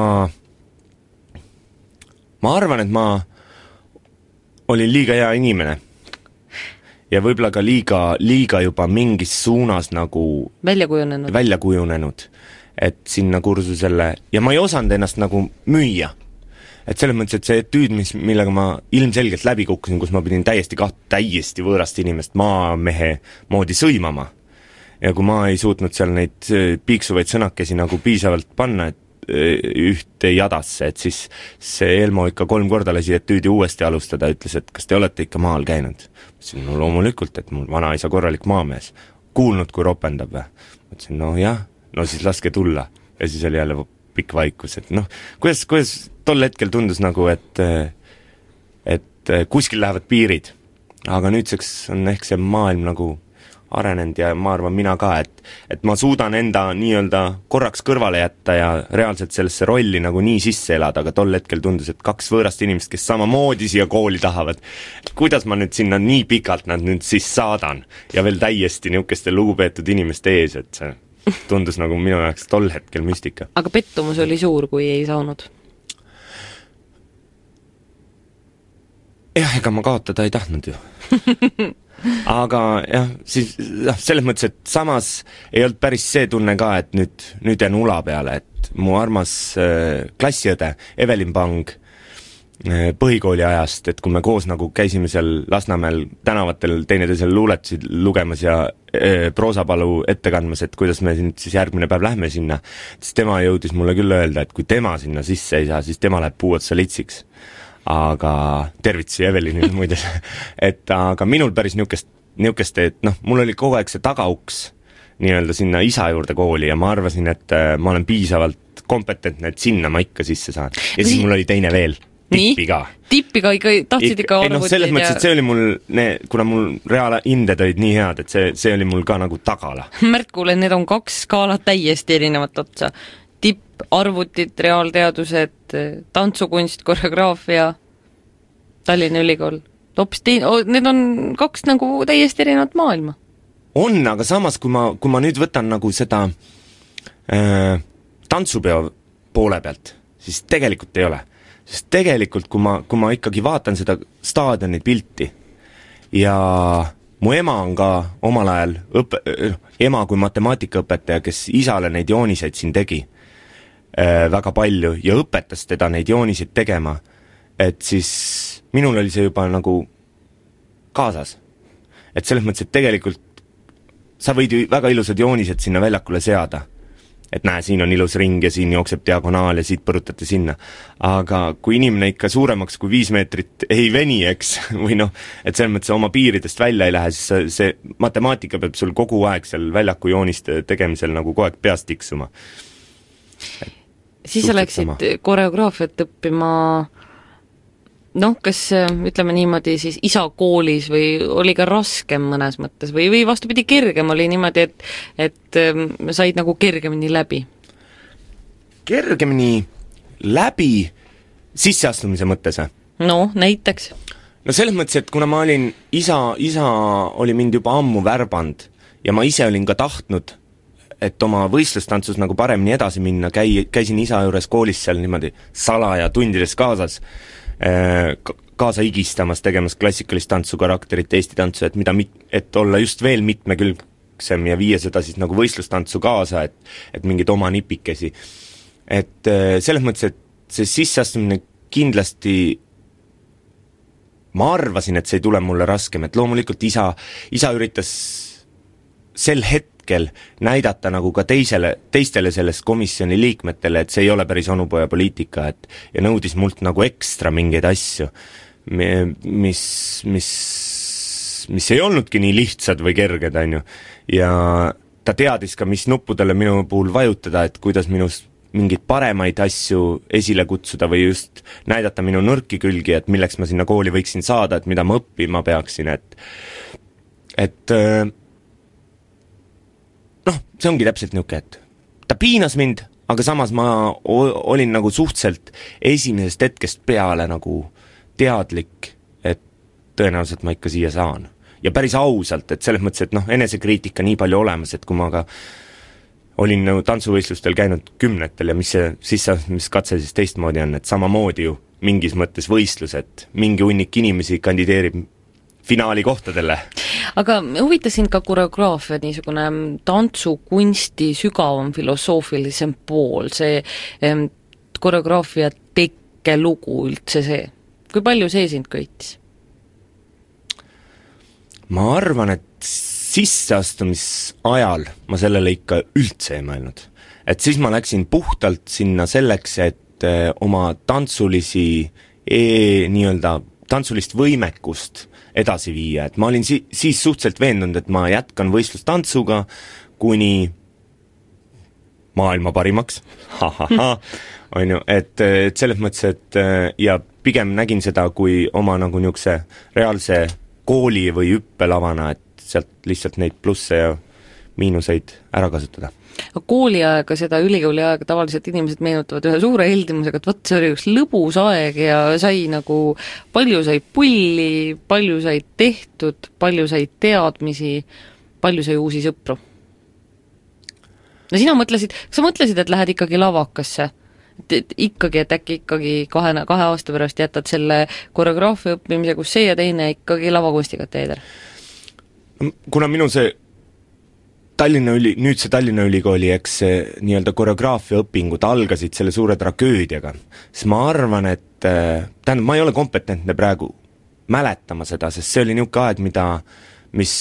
S2: ma arvan, et ma olin liiga hea inimene. Ja võib-olla ka liiga, liiga juba mingis suunas nagu
S1: välja kujunenud.
S2: välja kujunenud. Et sinna kursusele, ja ma ei osanud ennast nagu müüa. Et selles mõttes, et see etüüd, mis, millega ma ilmselgelt läbi kukkusin, kus ma pidin täiesti kaht, täiesti võõrast inimest maamehe moodi sõimama. Ja kui ma ei suutnud seal neid piiksuvaid sõnakesi nagu piisavalt panna, et ühte jadasse, et siis see Elmo ikka kolm korda lasi etüüdi uuesti alustada, ütles, et kas te olete ikka maal käinud? Mõtlesin, no loomulikult, et mul vanaisa korralik maamees. Kuulnud, kui ropendab või? Mõtlesin, no jah, no siis laske tulla. Ja siis oli jälle pikk vaikus, et noh, kuidas, kuidas tol hetkel tundus nagu, et et kuskil lähevad piirid. Aga nüüdseks on ehk see maailm nagu arenenud ja ma arvan mina ka, et, et ma suudan enda nii-öelda korraks kõrvale jätta ja reaalselt sellesse rolli nagu nii sisse elada, aga tol hetkel tundus, et kaks võõrast inimest, kes samamoodi siia kooli tahavad, kuidas ma nüüd sinna nii pikalt nad nüüd siis saadan ja veel täiesti niisugeste lugupeetud inimeste ees, et see tundus nagu minu jaoks tol hetkel müstika.
S1: Aga pettumus oli suur, kui ei saanud?
S2: Jah, ega ma kaotada ei tahtnud ju. aga jah, siis noh, selles mõttes, et samas ei olnud päris see tunne ka, et nüüd, nüüd jään ula peale, et mu armas äh, klassiõde Evelin Pang äh, põhikooli ajast, et kui me koos nagu käisime seal Lasnamäel tänavatel teineteisel luuletusid lugemas ja äh, proosapalu ette kandmas, et kuidas me siin siis järgmine päev lähme sinna, siis tema jõudis mulle küll öelda, et kui tema sinna sisse ei saa, siis tema läheb puu otsa litsiks. Aga tervitusi Evelinile muide, et aga minul päris niukest, niukest, et noh, mul oli kogu aeg see tagauks nii-öelda sinna isa juurde kooli ja ma arvasin, et ma olen piisavalt kompetentne, et sinna ma ikka sisse saan. Ja siis mul oli teine veel, tippi ka.
S1: Tippi ka ikka, tahtsid ikka
S2: ei noh, selles mõttes, et see oli mul, ne, kuna mul reaalinded olid nii head, et see, see oli mul ka nagu tagala.
S1: Märt, kuule, need on kaks skaalat täiesti erinevat otsa. Tipp, arvutid, reaalteadused, tantsukunst, koreograafia, Tallinna Ülikool. Tops teen-, need on kaks nagu täiesti erinevat maailma.
S2: On, aga samas, kui ma, kui ma nüüd võtan nagu seda äh, tantsupeo poole pealt, siis tegelikult ei ole. Sest tegelikult, kui ma, kui ma ikkagi vaatan seda staadioni pilti ja mu ema on ka omal ajal õpe, ema kui matemaatikaõpetaja, kes isale neid jooniseid siin tegi väga palju ja õpetas teda neid jooniseid tegema, et siis minul oli see juba nagu kaasas. Et selles mõttes, et tegelikult sa võid ju väga ilusad joonised sinna väljakule seada. Et näe, siin on ilus ring ja siin jookseb diagonaal ja siit põrutate sinna. Aga kui inimene ikka suuremaks kui viis meetrit ei veni, eks, või noh, et selles mõttes oma piiridest välja ei lähe, siis see matemaatika peab sul kogu aeg seal väljaku jooniste tegemisel nagu kogu aeg peast tiksuma.
S1: Siis sa läksid koreograafiat õppima, noh, kas ütleme niimoodi siis isa koolis või oli ka raskem mõnes mõttes või, või vastupidi kergem oli niimoodi, et, et said nagu kergemini läbi?
S2: Kergemini läbi sisseastumise mõttes?
S1: No, näiteks?
S2: No selles mõttes, et kuna ma olin, isa, isa oli mind juba ammu värband ja ma ise olin ka tahtnud, et oma võistlustantsus nagu paremini edasi minna, käi, käisin isa juures koolis seal niimoodi salaja tundides kaasas, kaasa igistamas, tegemas klassikalist tantsu karakterit, Eesti tantsu, et, mida, et olla just veel mitmekülgsem ja viia seda siis nagu võistlustantsu kaasa, et, et mingid oma nipikesi. Et selles mõttes, et see sisseastumine kindlasti ma arvasin, et see ei tule mulle raskem, et loomulikult isa, isa üritas sel hetkel näidata nagu ka teisele, teistele sellest komisjoni liikmetele, et see ei ole päris onupoja poliitika, et ja nõudis mult nagu ekstra mingeid asju, mis, mis, mis ei olnudki nii lihtsad või kerged, on ju. Ja ta teadis ka, mis nuppudele minu puhul vajutada, et kuidas minust mingeid paremaid asju esile kutsuda või just näidata minu nõrki külgi, et milleks ma sinna kooli võiksin saada, et mida ma õppima peaksin, et et noh, see ongi täpselt niuke, et ta piinas mind, aga samas ma olin nagu suhteliselt esimesest hetkest peale nagu teadlik, et tõenäoliselt ma ikka siia saan. Ja päris ausalt, et selles mõttes, et noh, enesekriitika nii palju olemas, et kui ma ka olin nagu tantsuvõistlustel käinud kümnetel ja mis see sisse, mis katse siis teistmoodi on, et samamoodi ju mingis mõttes võistlus, et mingi hunnik inimesi kandideerib finaali kohtadele.
S1: Aga huvitas sind ka koreograafia, niisugune tantsukunsti sügavam filosoofilisem pool, see em, koreograafia tekkelugu üldse see. Kui palju see sind köitis?
S2: Ma arvan, et sisseastumisajal ma sellele ikka üldse ei mõelnud. Et siis ma läksin puhtalt sinna selleks, et oma tantsulisi e, nii-öelda tantsulist võimekust edasi viia, et ma olin si- siis suhteliselt veendunud, et ma jätkan võistlustantsuga kuni maailma parimaks, ha-ha-ha, on ju, et, et selles mõttes, et ja pigem nägin seda kui oma nagu niisuguse reaalse kooli või hüppelavana, et sealt lihtsalt neid plusse ja miinuseid ära kasutada.
S1: Kooliaega, seda ülikooli aega tavaliselt inimesed meenutavad ühe suure heldimusega, et võt, see oli üks lõbus aeg ja sai nagu, palju sai pulli, palju sai tehtud, palju sai teadmisi, palju sai uusi sõpru. No sina mõtlesid, kas sa mõtlesid, et lähed ikkagi lavakasse? Et, et ikkagi, et äkki ikkagi kahe, kahe aasta pärast jätad selle koreograafia õppimise, kus see ja teine ikkagi lavakunstiga teeder?
S2: kuna minu see Tallinna üli, nüüd see Tallinna Ülikooli, eks see nii-öelda koreograafia õpingud algasid selle suure tragöödiaga, siis ma arvan, et tähendab, ma ei ole kompetentne praegu mäletama seda, sest see oli niisugune aeg, mida, mis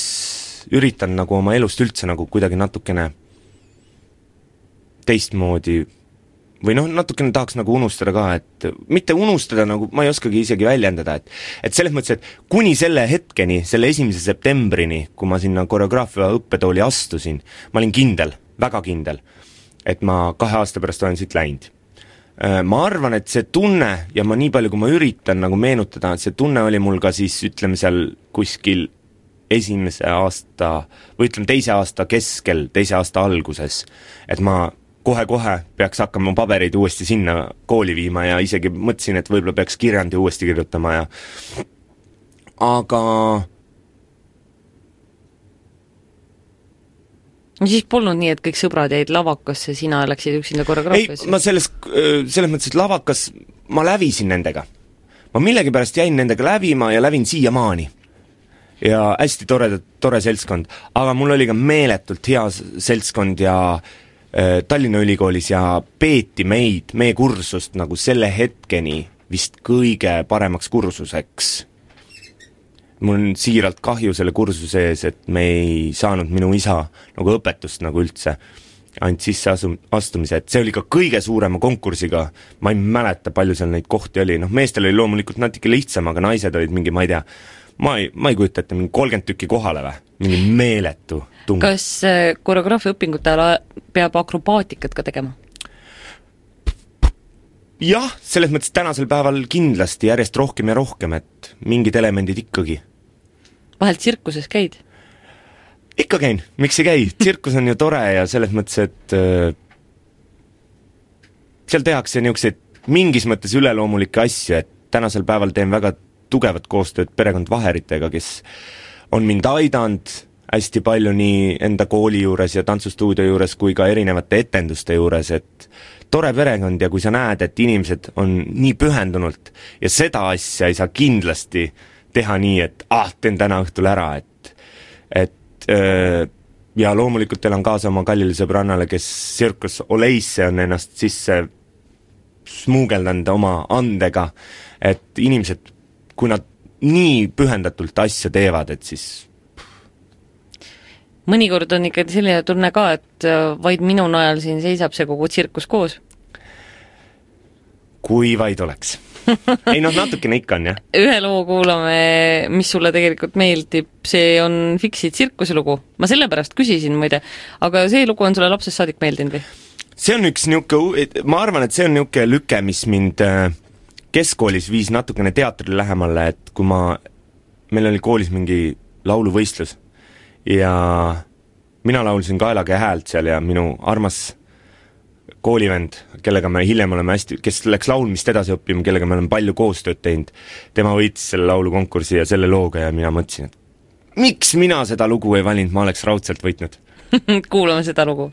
S2: üritan nagu oma elust üldse nagu kuidagi natukene teistmoodi või noh, natukene tahaks nagu unustada ka, et mitte unustada, nagu ma ei oskagi isegi väljendada, et et selles mõttes, et kuni selle hetkeni, selle esimese septembrini, kui ma sinna koreograafia õppetooli astusin, ma olin kindel, väga kindel, et ma kahe aasta pärast olen siit läinud. Ma arvan, et see tunne, ja ma nii palju, kui ma üritan nagu meenutada, et see tunne oli mul ka siis, ütleme seal kuskil esimese aasta, või ütleme teise aasta keskel, teise aasta alguses, et ma kohe-kohe peaks hakkama pabereid uuesti sinna kooli viima ja isegi mõtlesin, et võib-olla peaks kirjandi uuesti kirjutama ja aga
S1: siis polnud nii, et kõik sõbrad jäid lavakasse, sina läksid üksinda koreograafiasse?
S2: ei, ma selles, selles mõttes, et lavakas ma lävisin nendega. Ma millegipärast jäin nendega lävima ja lävin siiamaani. Ja hästi tore, tore seltskond. Aga mul oli ka meeletult hea seltskond ja Tallinna Ülikoolis ja peeti meid, meie kursust nagu selle hetkeni vist kõige paremaks kursuseks. Mul on siiralt kahju selle kursuse ees, et me ei saanud minu isa nagu õpetust nagu üldse ainult sisse asu, astumise, et see oli ka kõige suurema konkursiga, ma ei mäleta, palju seal neid kohti oli, noh meestel oli loomulikult natuke lihtsam, aga naised olid mingi, ma ei tea, ma ei, ma ei kujuta ette, mingi kolmkümmend tükki kohale või, mingi meeletu tung.
S1: Kas koreograafia õpingute ajal peab akrobaatikat ka tegema?
S2: Jah, selles mõttes tänasel päeval kindlasti järjest rohkem ja rohkem, et mingid elemendid ikkagi.
S1: Vahelt tsirkuses käid?
S2: Ikka käin, miks ei käi? Tsirkus on ju tore ja selles mõttes, et äh, seal tehakse niisuguseid mingis mõttes üleloomulikke asju, et tänasel päeval teen väga tugevat koostööd perekond Vaheritega, kes on mind aidanud hästi palju nii enda kooli juures ja tantsustuudio juures kui ka erinevate etenduste juures, et tore perekond ja kui sa näed, et inimesed on nii pühendunult ja seda asja ei saa kindlasti teha nii, et ah, teen täna õhtul ära, et, et öö, ja loomulikult elan kaasa oma kallile sõbrannale, kes Circus Oleisse on ennast sisse smuugeldanud oma andega, et inimesed kui nad nii pühendatult asja teevad, et siis
S1: mõnikord on ikka selline tunne ka, et vaid minu najal siin seisab see kogu tsirkus koos.
S2: Kui vaid oleks. Ei noh, natukene ikka on, jah.
S1: Ühe loo kuulame, mis sulle tegelikult meeldib, see on Fiksi tsirkuse lugu. Ma sellepärast küsisin muide, aga see lugu on sulle lapsest saadik meeldinud või?
S2: See on üks niuke, ma arvan, et see on niuke lüke, mis mind keskkoolis viis natukene teatrile lähemale, et kui ma, meil oli koolis mingi lauluvõistlus ja mina laulsin Kaelaga häält seal ja minu armas koolivend, kellega me hiljem oleme hästi, kes läks laulmist edasi õppima, kellega me oleme palju koostööd teinud, tema võitis selle laulukonkursi ja selle looga ja mina mõtlesin, et miks mina seda lugu ei valinud, ma oleks raudselt võitnud.
S1: Kuulame seda lugu.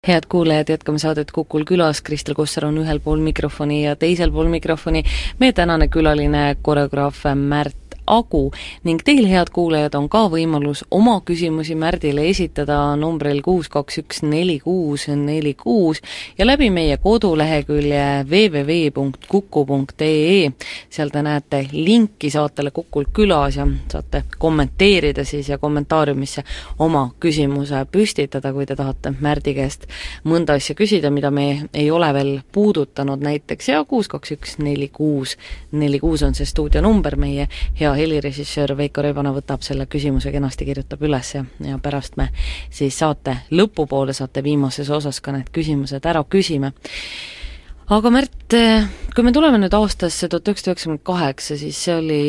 S1: Head kuulajad, jätkame saadet Kukul külas, Kristel Kossar on ühel pool mikrofoni ja teisel pool mikrofoni meie tänane külaline koreograaf Märt Agu ning teil, head kuulajad, on ka võimalus oma küsimusi Märdile esitada numbril kuus kaks üks neli kuus neli kuus ja läbi meie kodulehekülje w w w punkt kuku punkt e e. Seal te näete linki saatele Kukul külas ja saate kommenteerida siis ja kommentaariumisse oma küsimuse püstitada, kui te tahate Märdi käest mõnda asja küsida, mida me ei ole veel puudutanud näiteks, ja kuus kaks üks neli kuus neli kuus on see stuudio number. Meie hea helirežissöör Veiko Rebana võtab selle küsimuse kenasti, kirjutab üles ja, ja pärast me siis saate lõpupoole saate viimases osas ka need küsimused ära küsime. Aga Märt, kui me tuleme nüüd aastasse tuhat üheksasada üheksakümmend kaheksa, siis see oli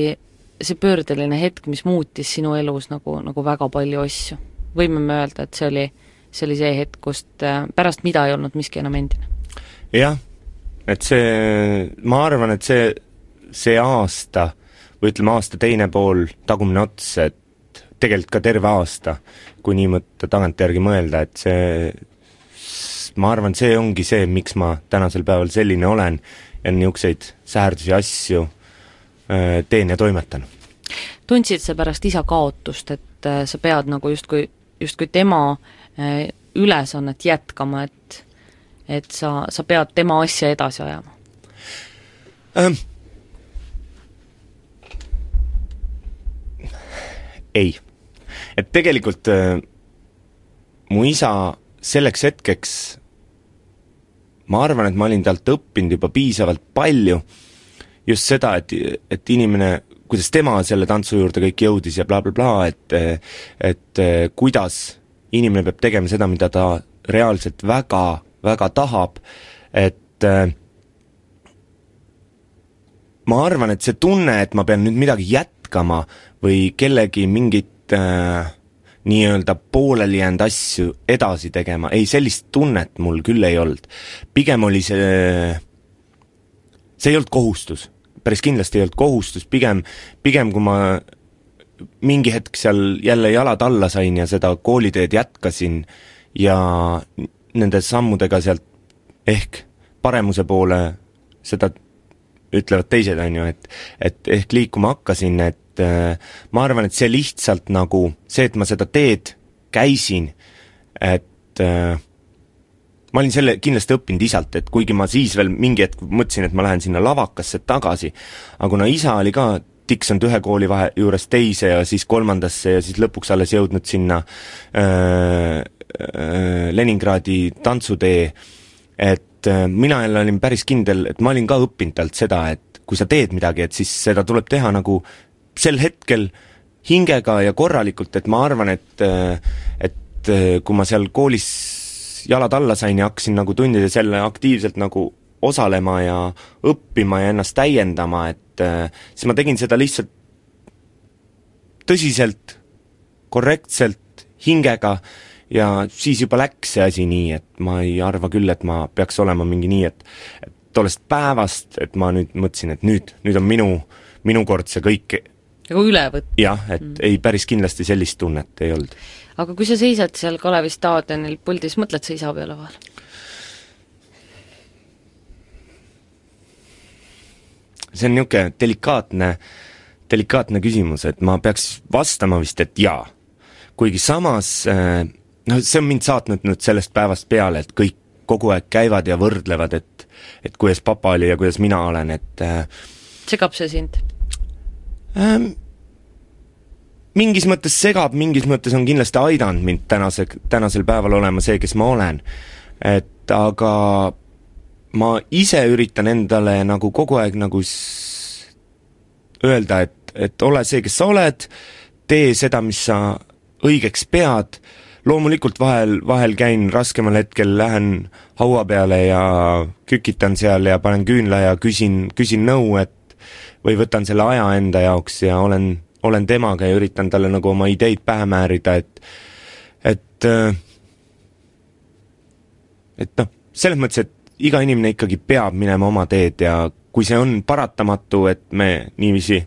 S1: see pöördeline hetk, mis muutis sinu elus nagu, nagu väga palju asju. Võime me öelda, et see oli see, oli see hetk, kust pärast mida ei olnud miski enam endine?
S2: Jah, et see, ma arvan, et see, see aasta või ütleme aasta teine pool, tagumine ots, et tegelikult ka terve aasta, kui nii mõtta tagantjärgi mõelda, et see, ma arvan, see ongi see, miks ma tänasel päeval selline olen ja niisuguseid säärdusi asju äh, teen ja toimetan.
S1: Tundsid sa pärast isa kaotust, et äh, sa pead nagu justkui, justkui tema äh, ülesannet jätkama, et, et sa, sa pead tema asja edasi ajama?
S2: Ähm. Ei. Et tegelikult äh, mu isa selleks hetkeks, ma arvan, et ma olin talt õppinud juba piisavalt palju just seda, et, et inimene, kuidas tema selle tantsu juurde kõik jõudis ja bla bla bla, et, et kuidas inimene peab tegema seda, mida ta reaalselt väga, väga tahab, et äh, ma arvan, et see tunne, et ma pean nüüd midagi jätkama või kellegi mingit äh, nii-öelda pooleli jäänud asju edasi tegema, ei, sellist tunnet mul küll ei olnud. Pigem oli see, see ei olnud kohustus, päris kindlasti ei olnud kohustus, pigem, pigem kui ma mingi hetk seal jälle jalad alla sain ja seda kooliteed jätkasin ja nende sammudega sealt ehk paremuse poole seda ütlevad teised, on ju, et, et ehk liikuma hakkasin, et äh, ma arvan, et see lihtsalt nagu see, et ma seda teed käisin, et äh, ma olin selle kindlasti õppinud isalt, et kuigi ma siis veel mingi hetk mõtlesin, et ma lähen sinna lavakasse tagasi, aga kuna isa oli ka tiksunud ühe kooli vahe juures teise ja siis kolmandasse ja siis lõpuks alles jõudnud sinna äh, äh, Leningradi tantsutee, et mina jälle olin päris kindel, et ma olin ka õppinud talt seda, et kui sa teed midagi, et siis seda tuleb teha nagu sel hetkel hingega ja korralikult, et ma arvan, et et kui ma seal koolis jalad alla sain ja hakkasin nagu tundides jälle aktiivselt nagu osalema ja õppima ja ennast täiendama, et siis ma tegin seda lihtsalt tõsiselt, korrektselt, hingega ja siis juba läks see asi nii, et ma ei arva küll, et ma peaks olema mingi nii, et, et tollest päevast, et ma nüüd mõtlesin, et nüüd, nüüd on minu, minu kord see kõik
S1: nagu üle võtta.
S2: Jah, et mm. ei, päris kindlasti sellist tunnet ei olnud.
S1: Aga kui sa seisad seal Kalevi staadionil puldis, mõtled sa isa peale vahel? See on niisugune delikaatne, delikaatne küsimus, et ma peaks vastama vist, et jaa. Kuigi samas no see on mind saatnud nüüd sellest päevast peale, et kõik kogu aeg käivad ja võrdlevad, et, et kuidas papa oli ja kuidas mina olen, et segab see sind?
S2: Ähm, mingis mõttes segab, mingis mõttes on kindlasti aidanud mind tänase, tänasel päeval olema see, kes ma olen. Et aga ma ise üritan endale nagu kogu aeg nagu s- öelda, et, et ole see, kes sa oled, tee seda, mis sa õigeks pead. Loomulikult vahel, vahel käin raskemal hetkel, lähen haua peale ja kükitan seal ja panen küünla ja küsin, küsin nõu, et või võtan selle aja enda jaoks ja olen, olen temaga ja üritan talle nagu oma ideid pähe määrida, et et et noh, selles mõttes, et iga inimene ikkagi peab minema oma teed ja kui see on paratamatu, et me niiviisi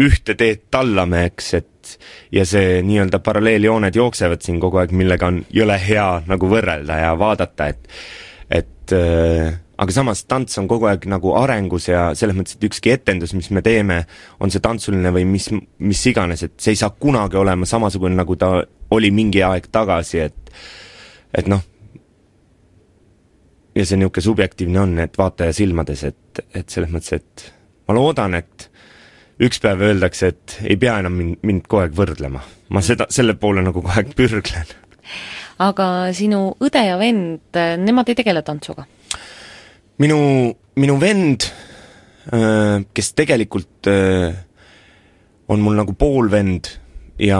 S2: ühte teed tallame, eks, et ja see nii-öelda paralleeljooned jooksevad siin kogu aeg, millega on jõle hea nagu võrrelda ja vaadata, et et äh, aga samas tants on kogu aeg nagu arengus ja selles mõttes, et ükski etendus, mis me teeme, on see tantsuline või mis, mis iganes, et see ei saa kunagi olema samasugune, nagu ta oli mingi aeg tagasi, et et noh, ja see niisugune subjektiivne on, et vaataja silmades, et, et selles mõttes, et ma loodan, et üks päev öeldakse, et ei pea enam mind, mind kogu aeg võrdlema. Ma seda, selle poole nagu kogu aeg pürglen.
S1: Aga sinu õde ja vend, nemad ei tegele tantsuga?
S2: Minu, minu vend, kes tegelikult on mul nagu poolvend ja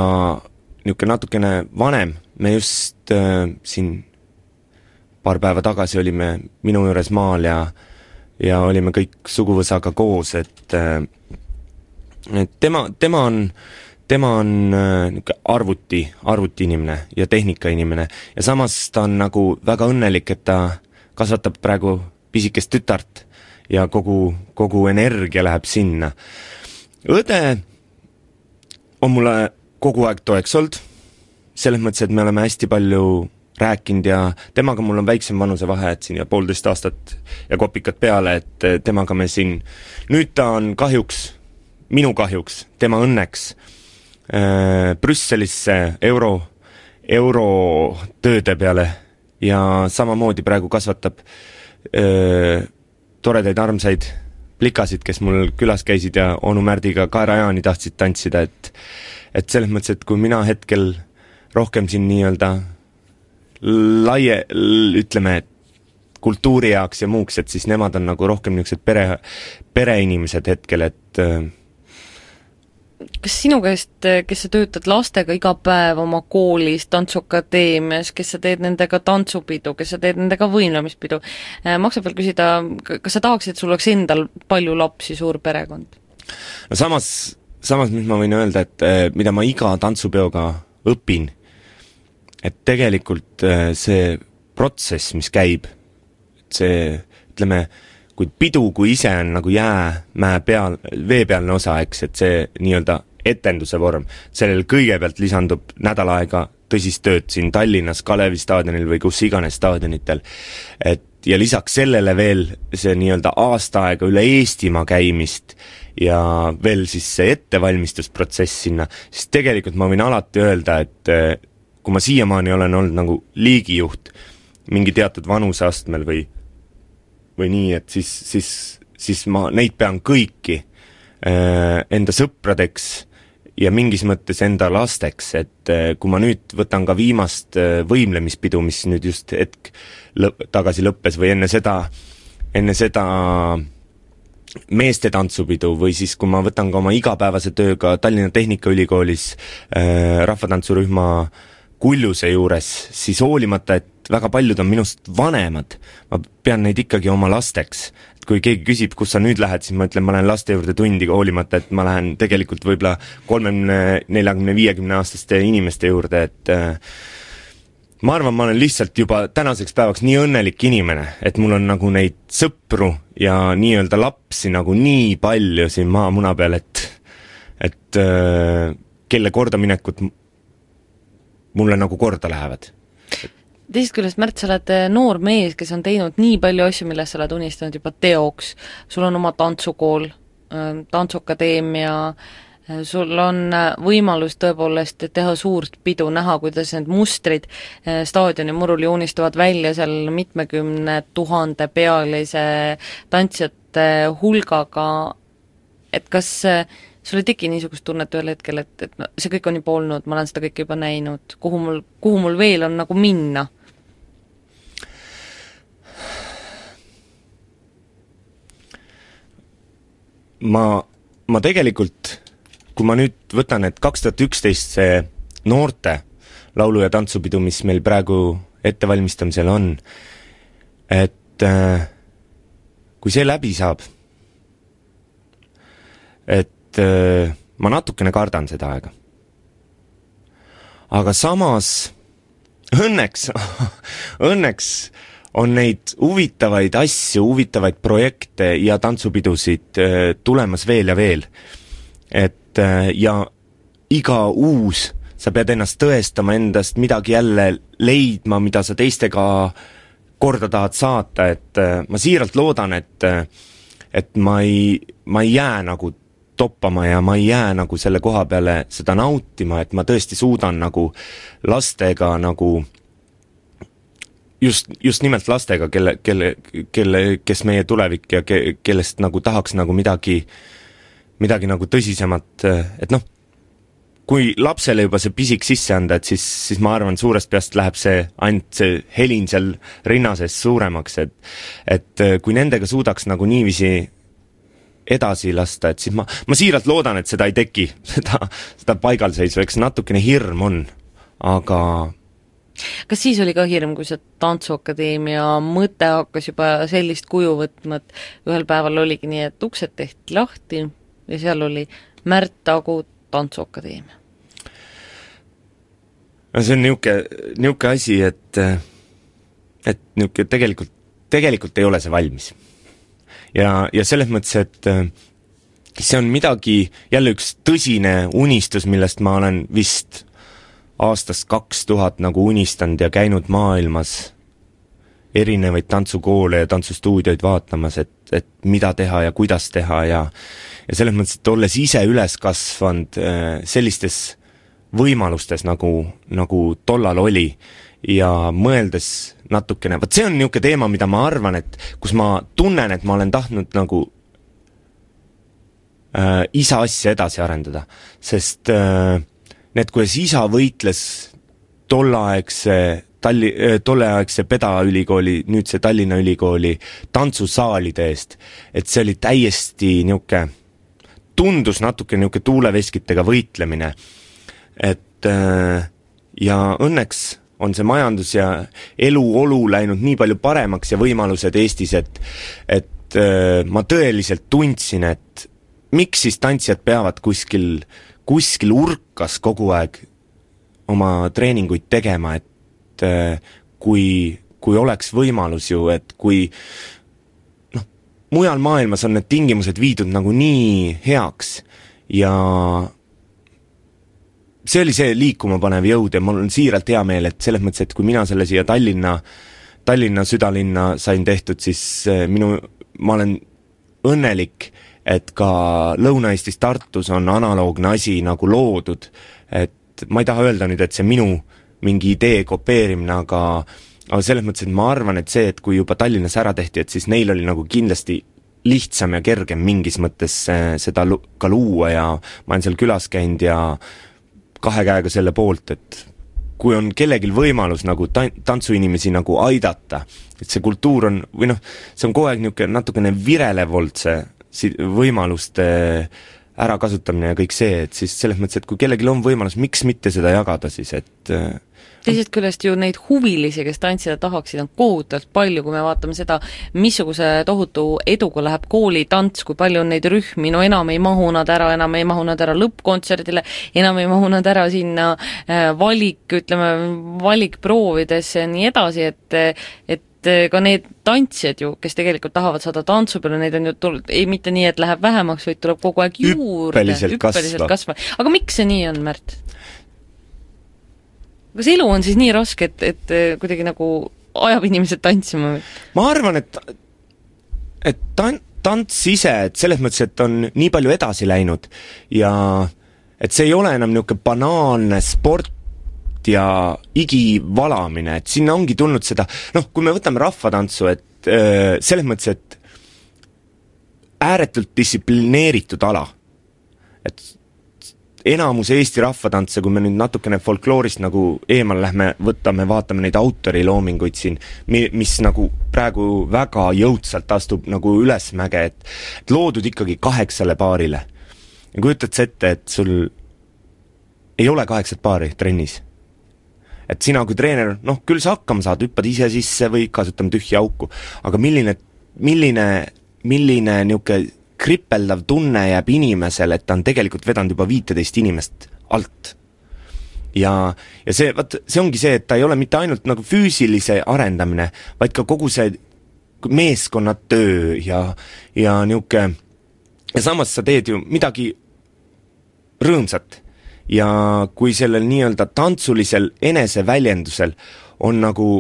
S2: niisugune natukene vanem, me just siin paar päeva tagasi olime minu juures maal ja, ja olime kõik suguvõsaga koos, et, et tema, tema on, tema on niisugune arvuti, arvuti inimene ja tehnika inimene ja samas ta on nagu väga õnnelik, et ta kasvatab praegu pisikest tütart ja kogu, kogu energia läheb sinna. Õde on mulle kogu aeg toeks olnud, selles mõttes, et me oleme hästi palju rääkinud ja temaga mul on väiksem vanusevahe, et siin ja poolteist aastat ja kopikad peale, et temaga me siin, nüüd ta on kahjuks, minu kahjuks, tema õnneks äh, Brüsselisse euro, euro tööde peale ja samamoodi praegu kasvatab öö, toredaid armsaid plikasid, kes mul külas käisid ja onu Märdiga Kaerajaani tahtsid tantsida, et et selles mõttes, et kui mina hetkel rohkem siin nii-öelda laie, ütleme, kultuuri jaoks ja muuks, et siis nemad on nagu rohkem niisugused pere, pereinimesed hetkel, et
S1: kas sinu käest, kes sa töötad lastega iga päev oma koolis, tantsuakadeemias, kes sa teed nendega tantsupidu, kes sa teed nendega võimlemispidu, maksab veel küsida, kas sa tahaksid, et sul oleks endal palju lapsi, suur perekond?
S2: No samas, samas mis ma võin öelda, et mida ma iga tantsupeoga õpin, et tegelikult see protsess, mis käib, see, ütleme, kui pidu, kui ise on nagu jäämäe peal, veepealne osa, eks, et see nii-öelda etenduse vorm, sellel kõigepealt lisandub nädal aega tõsist tööd siin Tallinnas, Kalevi staadionil või kus iganes staadionitel, et ja lisaks sellele veel see nii-öelda aasta aega üle Eestimaa käimist ja veel siis see ettevalmistusprotsess sinna, siis tegelikult ma võin alati öelda, et kui ma siiamaani olen olnud nagu liigijuht mingi teatud vanuseastmel või või nii, et siis, siis, siis ma neid pean kõiki äh, enda sõpradeks ja mingis mõttes enda lasteks, et äh, kui ma nüüd võtan ka viimast äh, võimlemispidu, mis nüüd just hetk lõp- tagasi lõppes või enne seda, enne seda meeste tantsupidu või siis kui ma võtan ka oma igapäevase tööga Tallinna Tehnikaülikoolis äh, rahvatantsurühma Kuljuse juures, siis hoolimata, et väga paljud on minust vanemad, ma pean neid ikkagi oma lasteks. Et kui keegi küsib, kus sa nüüd lähed, siis ma ütlen, ma lähen laste juurde tundi, hoolimata, et ma lähen tegelikult võib-olla kolmekümne, neljakümne, viiekümne aastaste inimeste juurde, et äh, ma arvan, ma olen lihtsalt juba tänaseks päevaks nii õnnelik inimene, et mul on nagu neid sõpru ja nii-öelda lapsi nagu nii palju siin maamuna peal, et, et äh, kelle kordaminekut mulle nagu korda lähevad.
S1: Teisest küljest, Märt, sa oled noor mees, kes on teinud nii palju asju, millest sa oled unistanud juba teoks. Sul on oma tantsukool, tantsuakadeemia, sul on võimalus tõepoolest teha suurt pidu, näha, kuidas need mustrid staadioni murul joonistuvad välja seal mitmekümne tuhande pealise tantsijate hulgaga, et kas sul ei teki niisugust tunnet ühel hetkel, et, et no, see kõik on juba olnud, ma olen seda kõike juba näinud, kuhu mul, kuhu mul veel on nagu minna?
S2: Ma, ma tegelikult, kui ma nüüd võtan, et kaks tuhat üksteist see noorte laulu- ja tantsupidu, mis meil praegu ettevalmistamisel on, et äh, kui see läbi saab, et ma natukene kardan seda aega. Aga samas õnneks, õnneks on neid huvitavaid asju, huvitavaid projekte ja tantsupidusid tulemas veel ja veel. Et ja iga uus, sa pead ennast tõestama endast, midagi jälle leidma, mida sa teistega korda tahad saata, et ma siiralt loodan, et et ma ei, ma ei jää nagu toppama ja ma ei jää nagu selle koha peale seda nautima, et ma tõesti suudan nagu lastega nagu just, just nimelt lastega, kelle, kelle, kelle, kes meie tulevik ja ke, kellest nagu tahaks nagu midagi, midagi nagu tõsisemat, et noh, kui lapsele juba see pisik sisse anda, et siis, siis ma arvan, suurest peast läheb see ainult see helin seal rinna sees suuremaks, et et kui nendega suudaks nagu niiviisi edasi lasta, et siis ma, ma siiralt loodan, et seda ei teki, seda, seda paigalseisu, eks natukene hirm on, aga
S1: kas siis oli ka hirm, kui see Tantsuakadeemia mõte hakkas juba sellist kuju võtma, et ühel päeval oligi nii, et uksed tehti lahti ja seal oli Märt Tagu Tantsuakadeemia?
S2: No see on niuke, niuke asi, et et niuke tegelikult, tegelikult ei ole see valmis. Ja, ja selles mõttes, et see on midagi, jälle üks tõsine unistus, millest ma olen vist aastast kaks tuhat nagu unistanud ja käinud maailmas erinevaid tantsukoole ja tantsustuudioid vaatamas, et, et mida teha ja kuidas teha ja ja selles mõttes, et olles ise üles kasvanud sellistes võimalustes nagu, nagu tollal oli ja mõeldes natukene, vaat see on niuke teema, mida ma arvan, et kus ma tunnen, et ma olen tahtnud nagu äh, isa asja edasi arendada, sest äh, need, kuidas isa võitles tollaegse Talli, tolleaegse Peda ülikooli, nüüd see Tallinna ülikooli tantsusaalide eest, et see oli täiesti niuke, tundus natuke niuke tuuleveskitega võitlemine, et ja õnneks on see majandus ja eluolu läinud nii palju paremaks ja võimalused Eestis, et, et ma tõeliselt tundsin, et miks siis tantsijad peavad kuskil, kuskil urkas kogu aeg oma treeninguid tegema, et kui, kui oleks võimalus ju, et kui noh, mujal maailmas on need tingimused viidud nagu nii heaks ja see oli see liikuma panev jõud ja mul on siiralt hea meel, et selles mõttes, et kui mina selle siia Tallinna, Tallinna südalinna sain tehtud, siis minu, ma olen õnnelik, et ka Lõuna-Eestis Tartus on analoogne asi nagu loodud, et ma ei taha öelda nüüd, et see minu mingi idee kopeerimine, aga, aga selles mõttes, et ma arvan, et see, et kui juba Tallinnas ära tehti, et siis neil oli nagu kindlasti lihtsam ja kergem mingis mõttes seda ka luua ja ma olen seal külas käinud ja kahe käega selle poolt, et kui on kellegil võimalus nagu tantsuinimesi nagu aidata, et see kultuur on, või noh, see on kogu aeg niisugune natukene virelev olnud see võimaluste ära kasutamine ja kõik see, et siis selles mõttes, et kui kellelgi on võimalus, miks mitte seda jagada siis, et
S1: teisest küljest ju neid huvilisi, kes tantsida tahaksid, on kohutavalt palju, kui me vaatame seda, missuguse tohutu eduga läheb kooli tants, kui palju on neid rühmi, no enam ei mahu nad ära, enam ei mahu nad ära lõppkontserdile, enam ei mahu nad ära sinna valik, ütleme, valikproovidesse ja nii edasi, et, et ka need tantsijad ju, kes tegelikult tahavad saada tantsu peale, neid on ju tulnud, ei mitte nii, et läheb vähemaks, vaid tuleb kogu aeg juurde,
S2: hüppeliselt kasvab.
S1: kasvab. Aga miks see nii on, Märt? Kas elu on siis nii raske, et, et kuidagi nagu ajab inimesed tantsima?
S2: Ma arvan, et, et tan- tants ise, et selles mõttes, et on nii palju edasi läinud ja et see ei ole enam niisugune banaalne sport ja igivalamine, et sinna ongi tulnud seda, noh, kui me võtame rahvatantsu, et öö, selles mõttes, et ääretult distsiplineeritud ala, et enamus Eesti rahvatantse, kui me nüüd natukene folkloorist nagu eemal lähme, võtame, vaatame neid autoriloominguid siin, mis nagu praegu väga jõudsalt astub nagu ülesmäge, et, et loodud ikkagi kaheksale paarile. Ja kujutad sa ette, et sul ei ole kaheksat paari trennis. Et sina kui treener, noh, küll sa hakkama saad, hüppad ise sisse või kasutame tühja auku, aga milline, milline, milline niuke kripeldav tunne jääb inimesele, et ta on tegelikult vedanud juba viiteist inimest alt. Ja, ja see, vaat, see ongi see, et ta ei ole mitte ainult nagu füüsilise arendamine, vaid ka kogu see meeskonnatöö ja, ja niuke, ja samas sa teed ju midagi rõõmsat ja kui sellel nii-öelda tantsulisel eneseväljendusel on nagu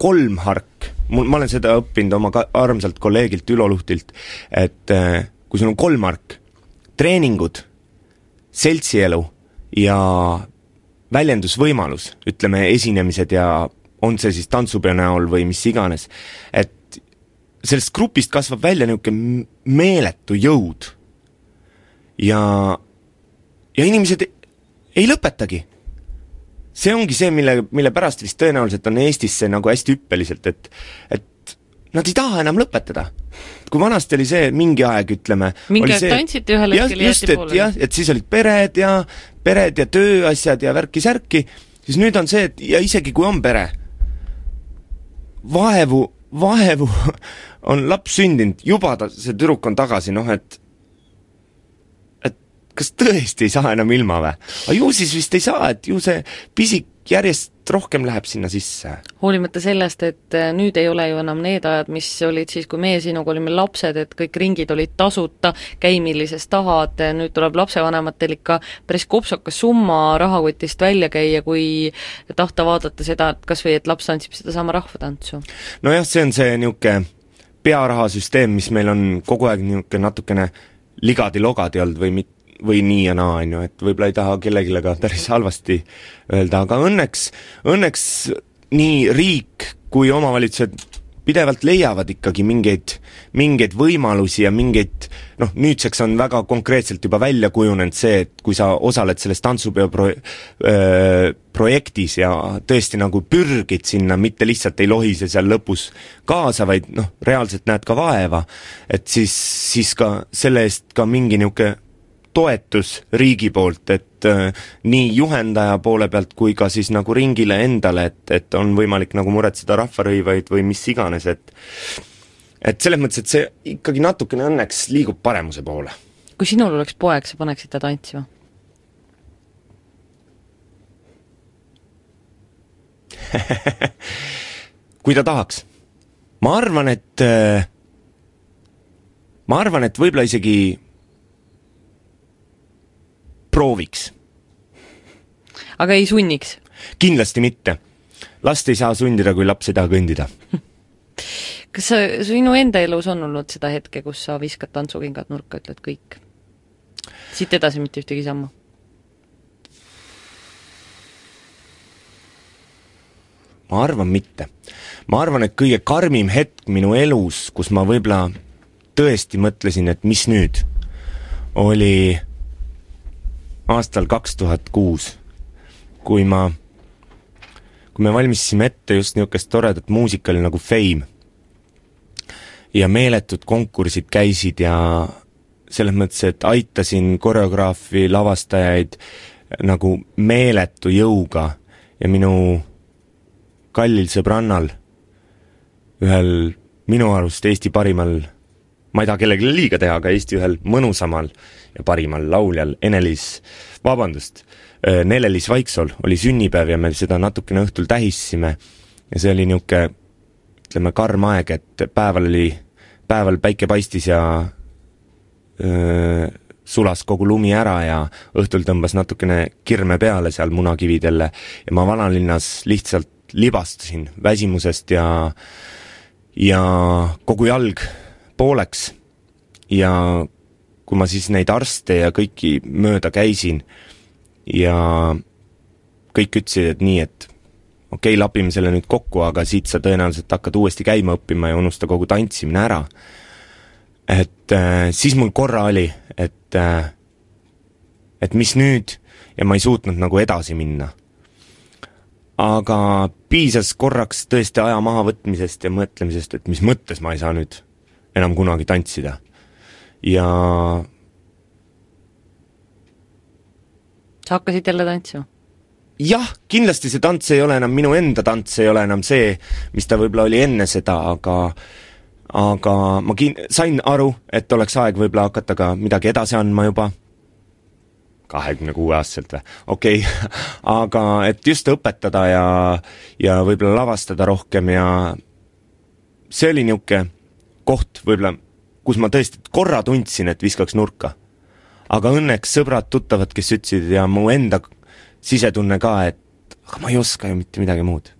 S2: kolmhark, mul, ma olen seda õppinud oma ka, armsalt kolleegilt Ülo Luhtilt, et äh, kui sul on kolmhark, treeningud, seltsielu ja väljendusvõimalus, ütleme esinemised ja on see siis tantsupeo näol või mis iganes, et sellest grupist kasvab välja niisugune meeletu jõud ja, ja inimesed ei lõpetagi. See ongi see, mille, mille pärast vist tõenäoliselt on Eestis see nagu hästi hüppeliselt, et, et nad ei taha enam lõpetada. Kui vanasti oli see mingi aeg, ütleme,
S1: mingi
S2: aeg
S1: tantsiti ühel hetkel jäeti poole.
S2: Jah, et siis olid pered ja, pered ja tööasjad ja värki-särki, siis nüüd on see, et ja isegi kui on pere, vaevu, vaevu on laps sündinud, juba ta, see tüdruk on tagasi, noh, et kas tõesti ei saa enam ilma või? Aga ju siis vist ei saa, et ju see pisik järjest rohkem läheb sinna sisse.
S1: Hoolimata sellest, et nüüd ei ole ju enam need ajad, mis olid siis, kui meie sinuga olime lapsed, et kõik ringid olid tasuta, käi millises tahad, nüüd tuleb lapsevanematel ikka päris kopsakas summa rahakotist välja käia, kui tahta vaadata seda, et kas või et laps tantsib seda sama rahvatantsu.
S2: No jah, see on see niuke pearahasüsteem, mis meil on kogu aeg niuke natukene ligadi-logadi olnud või mitte või nii ja naa, on ju, et võib-olla ei taha kellegile ka päris halvasti öelda, aga õnneks, õnneks nii riik kui omavalitsused pidevalt leiavad ikkagi mingeid, mingeid võimalusi ja mingeid, noh, nüüdseks on väga konkreetselt juba välja kujunenud see, et kui sa osaled selles tantsupeo pro, öö, projektis ja tõesti nagu pürgid sinna, mitte lihtsalt ei lohise seal lõpus kaasa, vaid noh, reaalselt näed ka vaeva, et siis, siis ka selle eest ka mingi niuke toetus riigi poolt, et äh, nii juhendaja poole pealt kui ka siis nagu ringile endale, et, et on võimalik nagu muretseda rahvarõivaid või mis iganes, et et selles mõttes, et see ikkagi natukene õnneks liigub paremuse poole.
S1: Kui sinul oleks poeg, sa paneksid ta tantsima?
S2: Kui ta tahaks. Ma arvan, et äh, ma arvan, et võib-olla isegi prooviks.
S1: Aga ei sunniks?
S2: Kindlasti mitte. Last ei saa sundida, kui laps ei taha kõndida.
S1: Kas sa, sinu enda elus on olnud seda hetke, kus sa viskad tantsukingad nurka, ütled kõik? Siit edasi mitte ühtegi sammu?
S2: Ma arvan mitte. Ma arvan, et kõige karmim hetk minu elus, kus ma võib-olla tõesti mõtlesin, et mis nüüd, oli aastal kaks tuhat kuus, kui ma, kui me valmistasime ette just niisugust toredat muusikali nagu Fame ja meeletud konkursid käisid ja selles mõttes, et aitasin koreograafi lavastajaid nagu meeletu jõuga ja minu kallil sõbrannal, ühel minu arust Eesti parimal, ma ei taha kellelegi liiga teha, aga Eesti ühel mõnusamal ja parimal lauljal Ene-Liis, vabandust, Nele-Liis Vaiksol oli sünnipäev ja me seda natukene õhtul tähissime ja see oli niuke, ütleme, karm aeg, et päeval oli, päeval päike paistis ja öö, sulas kogu lumi ära ja õhtul tõmbas natukene kirme peale seal munakividele ja ma vanalinnas lihtsalt libastusin väsimusest ja ja kogu jalg pooleks ja kui ma siis neid arste ja kõiki mööda käisin ja kõik ütlesid, et nii, et okei, okay, lapime selle nüüd kokku, aga siit sa tõenäoliselt hakkad uuesti käima õppima ja unusta kogu tantsimine ära. Et äh, siis mul korra oli, et äh, et mis nüüd ja ma ei suutnud nagu edasi minna. Aga piisas korraks tõesti aja maha võtmisest ja mõtlemisest, et mis mõttes ma ei saa nüüd enam kunagi tantsida. Ja
S1: sa hakkasid jälle tantsima?
S2: Jah, kindlasti see tants ei ole enam minu enda tants, ei ole enam see, mis ta võib-olla oli enne seda, aga aga ma kin- sain aru, et oleks aeg võib-olla hakata ka midagi edasi andma juba kahekümne kuue aastaselt või, okei okay. Aga et just õpetada ja, ja võib-olla lavastada rohkem ja see oli niuke koht võib-olla, kus ma tõesti korra tundsin, et viskaks nurka. aga õnneks sõbrad, tuttavad, kes ütlesid ja mu enda sisetunne ka, et aga ma ei oska ju mitte midagi muud.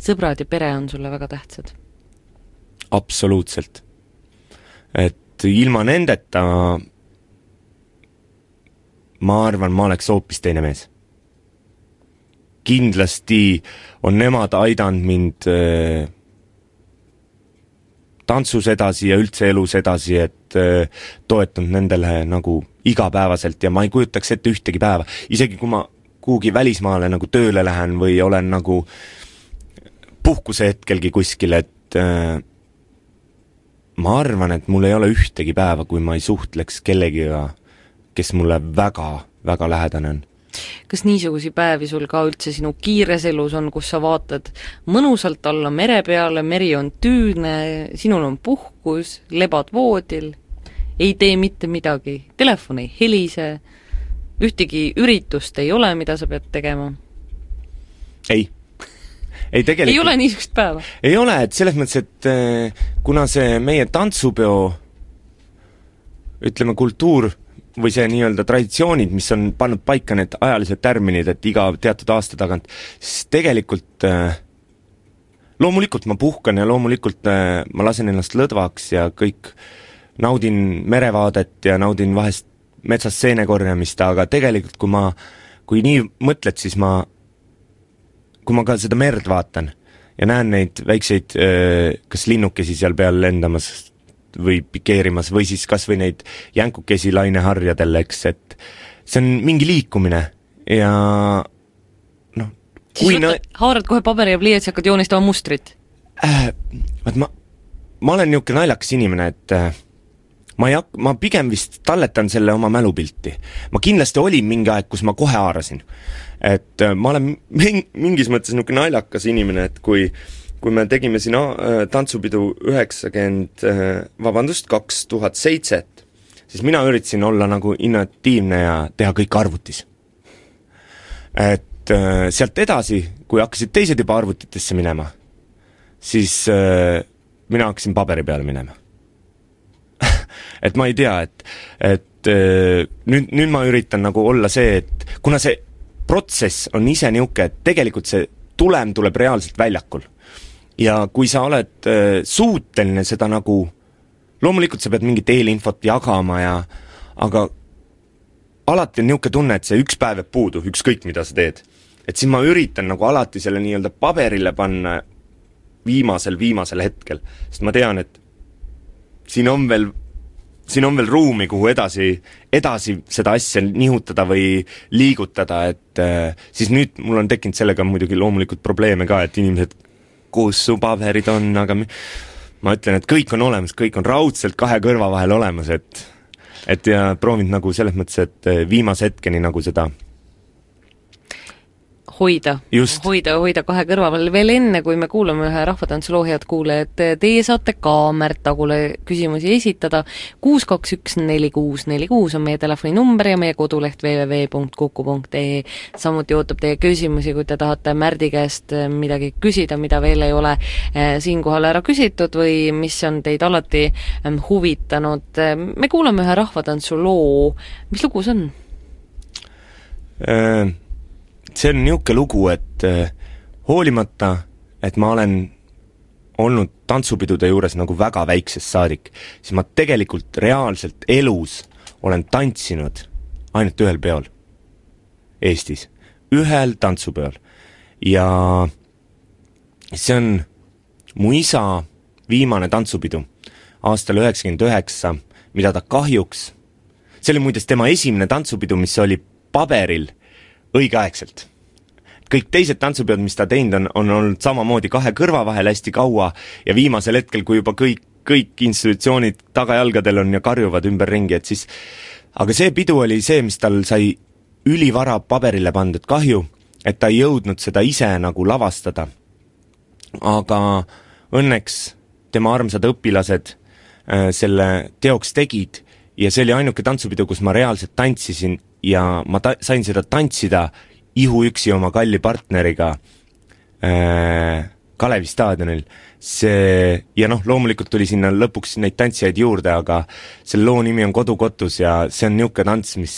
S1: Sõbrad ja pere on sulle väga tähtsad?
S2: Absoluutselt. Et ilma nendeta ma arvan, ma oleks hoopis teine mees. Kindlasti on nemad aidanud mind äh, tantsus edasi ja üldse elus edasi, et äh, toetanud nendele nagu igapäevaselt ja ma ei kujutaks ette ühtegi päeva. Isegi kui ma kuhugi välismaale nagu tööle lähen või olen nagu puhkuse hetkelgi kuskil, et äh, ma arvan, et mul ei ole ühtegi päeva, kui ma ei suhtleks kellegiga, kes mulle väga, väga lähedane on.
S1: Kas niisugusi päevi sul ka üldse sinu kiires elus on, kus sa vaatad mõnusalt alla mere peale, meri on tüüne, sinul on puhkus, lebad voodil, ei tee mitte midagi, telefon ei helise, ühtegi üritust ei ole, mida sa pead tegema?
S2: Ei. Ei, tegelikult,
S1: ei ole niisugust päeva?
S2: Ei ole, et selles mõttes, et kuna see meie tantsupeo ütleme kultuur või see nii-öelda traditsioonid, mis on pannud paika need ajalised tärminid, et iga teatud aasta tagant, siis tegelikult loomulikult ma puhkan ja loomulikult ma lasen ennast lõdvaks ja kõik naudin merevaadet ja naudin vahest metsas seene korjamist, aga tegelikult kui ma, kui nii mõtled, siis ma kui ma ka seda merd vaatan ja näen neid väikseid kas linnukesi seal peal lendamas või pikeerimas või siis kas või neid jänkukesi laineharjadel, eks, et see on mingi liikumine ja noh,
S1: siis võtta, nõ... haarad kohe paberi ja pliiatsi hakkad joonistama mustrit?
S2: Äh, ma, ma olen niisugune naljakas inimene, et äh, ma, ei hak-, ma pigem vist talletan selle oma mälupilti. Ma kindlasti olin mingi aeg, kus ma kohe haarasin. Et äh, ma olen mingis mõttes niisugune naljakas inimene, et kui, kui me tegime siin äh, tantsupidu üheksakümmend, äh, vabandust, kaks tuhat seitse, siis mina üritasin olla nagu innovatiivne ja teha kõik arvutis. Et äh, sealt edasi, kui hakkasid teised juba arvutitesse minema, siis äh, mina hakkasin paberi peale minema. Et ma ei tea, et, et äh, nüüd, nüüd ma üritan nagu olla see, et kuna see protsess on ise niuke, et tegelikult see tulem tuleb reaalselt väljakul. Ja kui sa oled äh, suuteline seda nagu, loomulikult sa pead mingit eelinfot jagama ja, aga alati on niuke tunne, et see üks päev jääb puudu, ükskõik mida sa teed. Et siis ma üritan nagu alati selle nii-öelda paberile panna viimasel, viimasel hetkel, sest ma tean, et siin on veel siin on veel ruumi, kuhu edasi, edasi seda asja nihutada või liigutada, et äh, siis nüüd mul on tekkinud sellega muidugi loomulikult probleeme ka, et inimesed, kus su paberid on, aga ma ütlen, et kõik on olemas, kõik on raudselt kahe kõrva vahel olemas, et, et ja proovinud nagu selles mõttes, et viimase hetkeni nagu seda
S1: hoida, hoida, hoida kahe kõrva vahel. Veel enne, kui me kuulame ühe rahvatantsuloo, head kuulajad, teie saate ka Märt Tagule küsimusi esitada. kuus kaks üks neli kuus neli kuus on meie telefoninumber ja meie koduleht double-u double-u double-u punkt kuku punkt ee. Samuti ootab teie küsimusi, kui te tahate Märdi käest midagi küsida, mida veel ei ole siinkohal ära küsitud või mis on teid alati huvitanud. Me kuulame ühe rahvatantsuloo. Mis lugu see on?
S2: Äh... See on niuke lugu, et äh, hoolimata, et ma olen olnud tantsupidude juures nagu väga väiksest saadik, siis ma tegelikult reaalselt elus olen tantsinud ainult ühel peol Eestis, ühel tantsupeol. Ja see on mu isa viimane tantsupidu aastal üheksakümmend üheksa, mida ta kahjuks, see oli muides tema esimene tantsupidu, mis oli paberil õigeaegselt. Kõik teised tantsupeod, mis ta teinud on, on olnud samamoodi kahe kõrva vahel hästi kaua ja viimasel hetkel, kui juba kõik, kõik institutsioonid tagajalgadel on ja karjuvad ümberringi, et siis, aga see pidu oli see, mis tal sai ülivara paberile pandud, kahju, et ta ei jõudnud seda ise nagu lavastada. Aga õnneks tema armsad õpilased äh, selle teoks tegid ja see oli ainuke tantsupidu, kus ma reaalselt tantsisin ja ma ta- sain seda tantsida ihu üksi oma kalli partneriga äh, Kalevi staadionil, see, ja noh, loomulikult tuli sinna lõpuks neid tantsijaid juurde, aga selle loo nimi on Kodukotus ja see on niisugune tants, mis,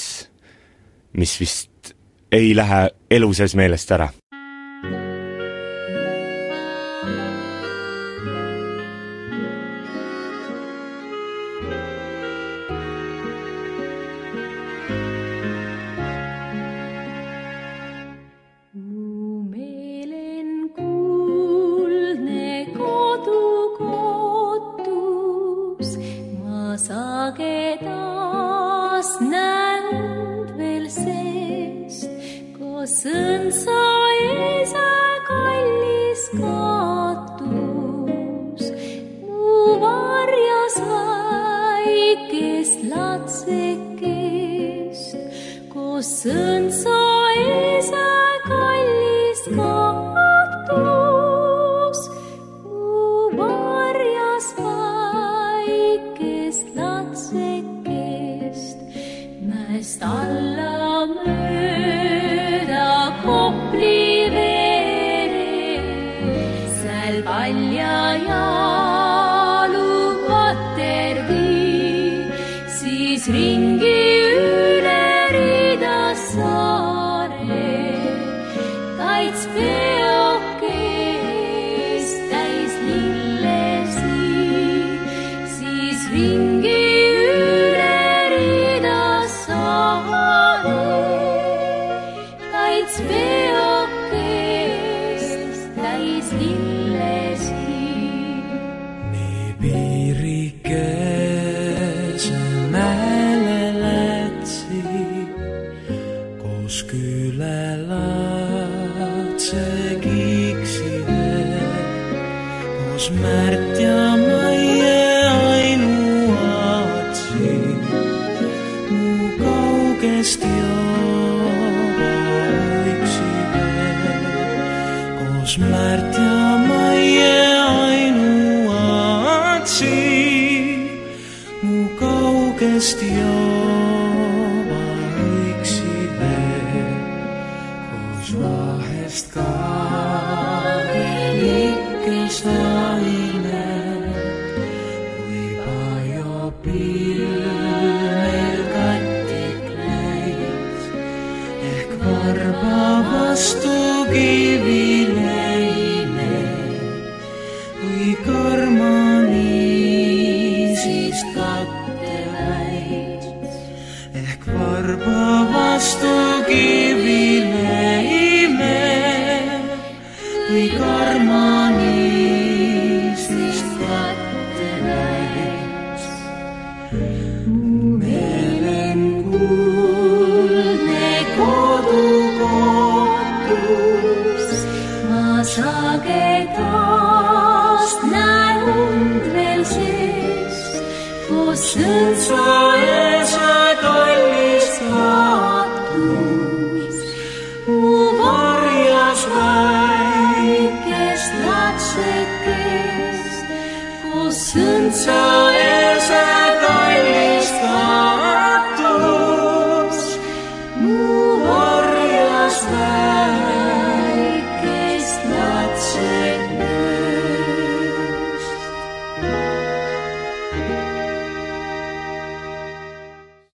S2: mis vist ei lähe elu sees meelest ära.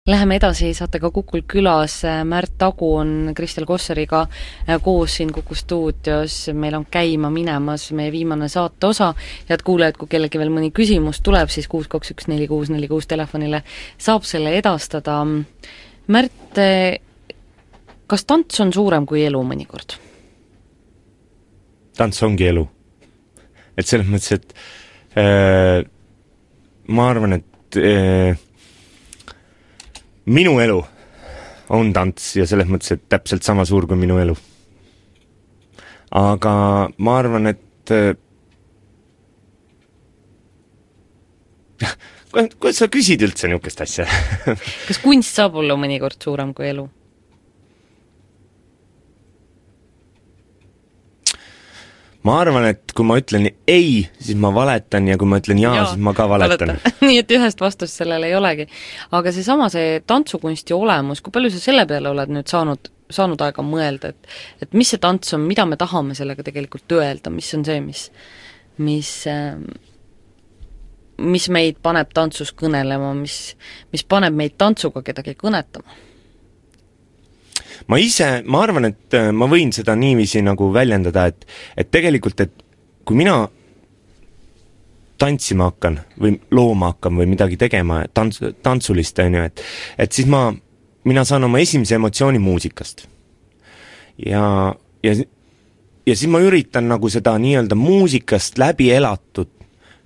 S1: Läheme edasi, saate ka Kukul külas, Märt Tagu on Kristel Kossariga koos siin Kuku stuudios, meil on käima minemas meie viimane saate osa, head kuulajad, kui kellegi veel mõni küsimus tuleb, siis kuus kaks üks neli kuus neli kuus telefonile saab selle edastada. Märt, kas tants on suurem kui elu mõnikord?
S2: Tants ongi elu. Et selles mõttes, et äh, ma arvan, et äh, minu elu on tants ja selles mõttes, et täpselt sama suur kui minu elu. Aga ma arvan, et kuidas sa küsid üldse niisugust asja?
S1: Kas kunst saab olla mõnikord suurem kui elu?
S2: Ma arvan, et kui ma ütlen ei, siis ma valetan ja kui ma ütlen jaa, jaa siis ma ka valetan.
S1: Nii et ühest vastust sellele ei olegi. Aga see sama, see tantsukunsti olemus, kui palju sa selle peale oled nüüd saanud saanud aega mõelda, et et mis see tants on, mida me tahame sellega tegelikult öelda, mis on see, mis mis mis meid paneb tantsus kõnelema, mis, mis paneb meid tantsuga kedagi kõnetama?
S2: Ma ise, ma arvan, et ma võin seda niiviisi nagu väljendada, et, et tegelikult, et kui mina tantsima hakkan või looma hakkan või midagi tegema tants, tantsulist, on ju, et, et siis ma, mina saan oma esimese emotsiooni muusikast. Ja, ja, ja siis ma üritan nagu seda nii-öelda muusikast läbi elatud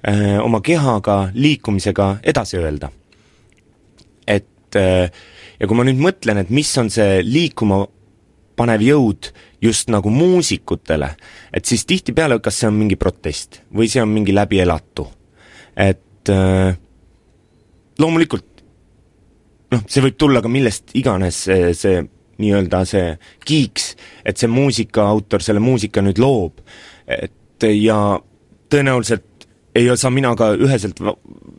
S2: öö, oma kehaga, liikumisega edasi öelda. Et öö, ja kui ma nüüd mõtlen, et mis on see liikuma panev jõud just nagu muusikutele, et siis tihtipeale, kas see on mingi protest või see on mingi läbi elatu. Et äh, loomulikult, noh, see võib tulla ka millest iganes see, see nii-öelda see kiiks, et see muusika autor selle muusika nüüd loob. Et ja tõenäoliselt ei saa mina ka üheselt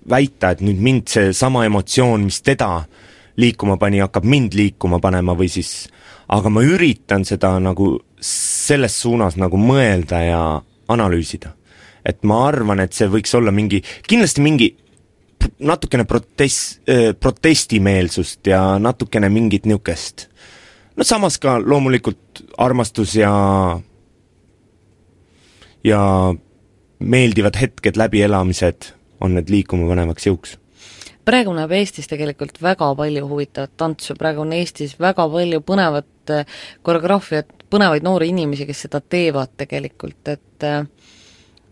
S2: väita, et nüüd mind see sama emotsioon, mis teda liikuma pani, hakkab mind liikuma panema või siis, aga ma üritan seda nagu selles suunas nagu mõelda ja analüüsida. Et ma arvan, et see võiks olla mingi, kindlasti mingi natukene protest, protestimeelsust ja natukene mingit niukest. No samas ka loomulikult armastus ja ja meeldivad hetked läbielamised on need liikuma panevaks jõuks.
S1: Praegu näeb Eestis tegelikult väga palju huvitavat tantsu, praegu on Eestis väga palju põnevat koreograafiat, põnevaid noori inimesi, kes seda teevad tegelikult, et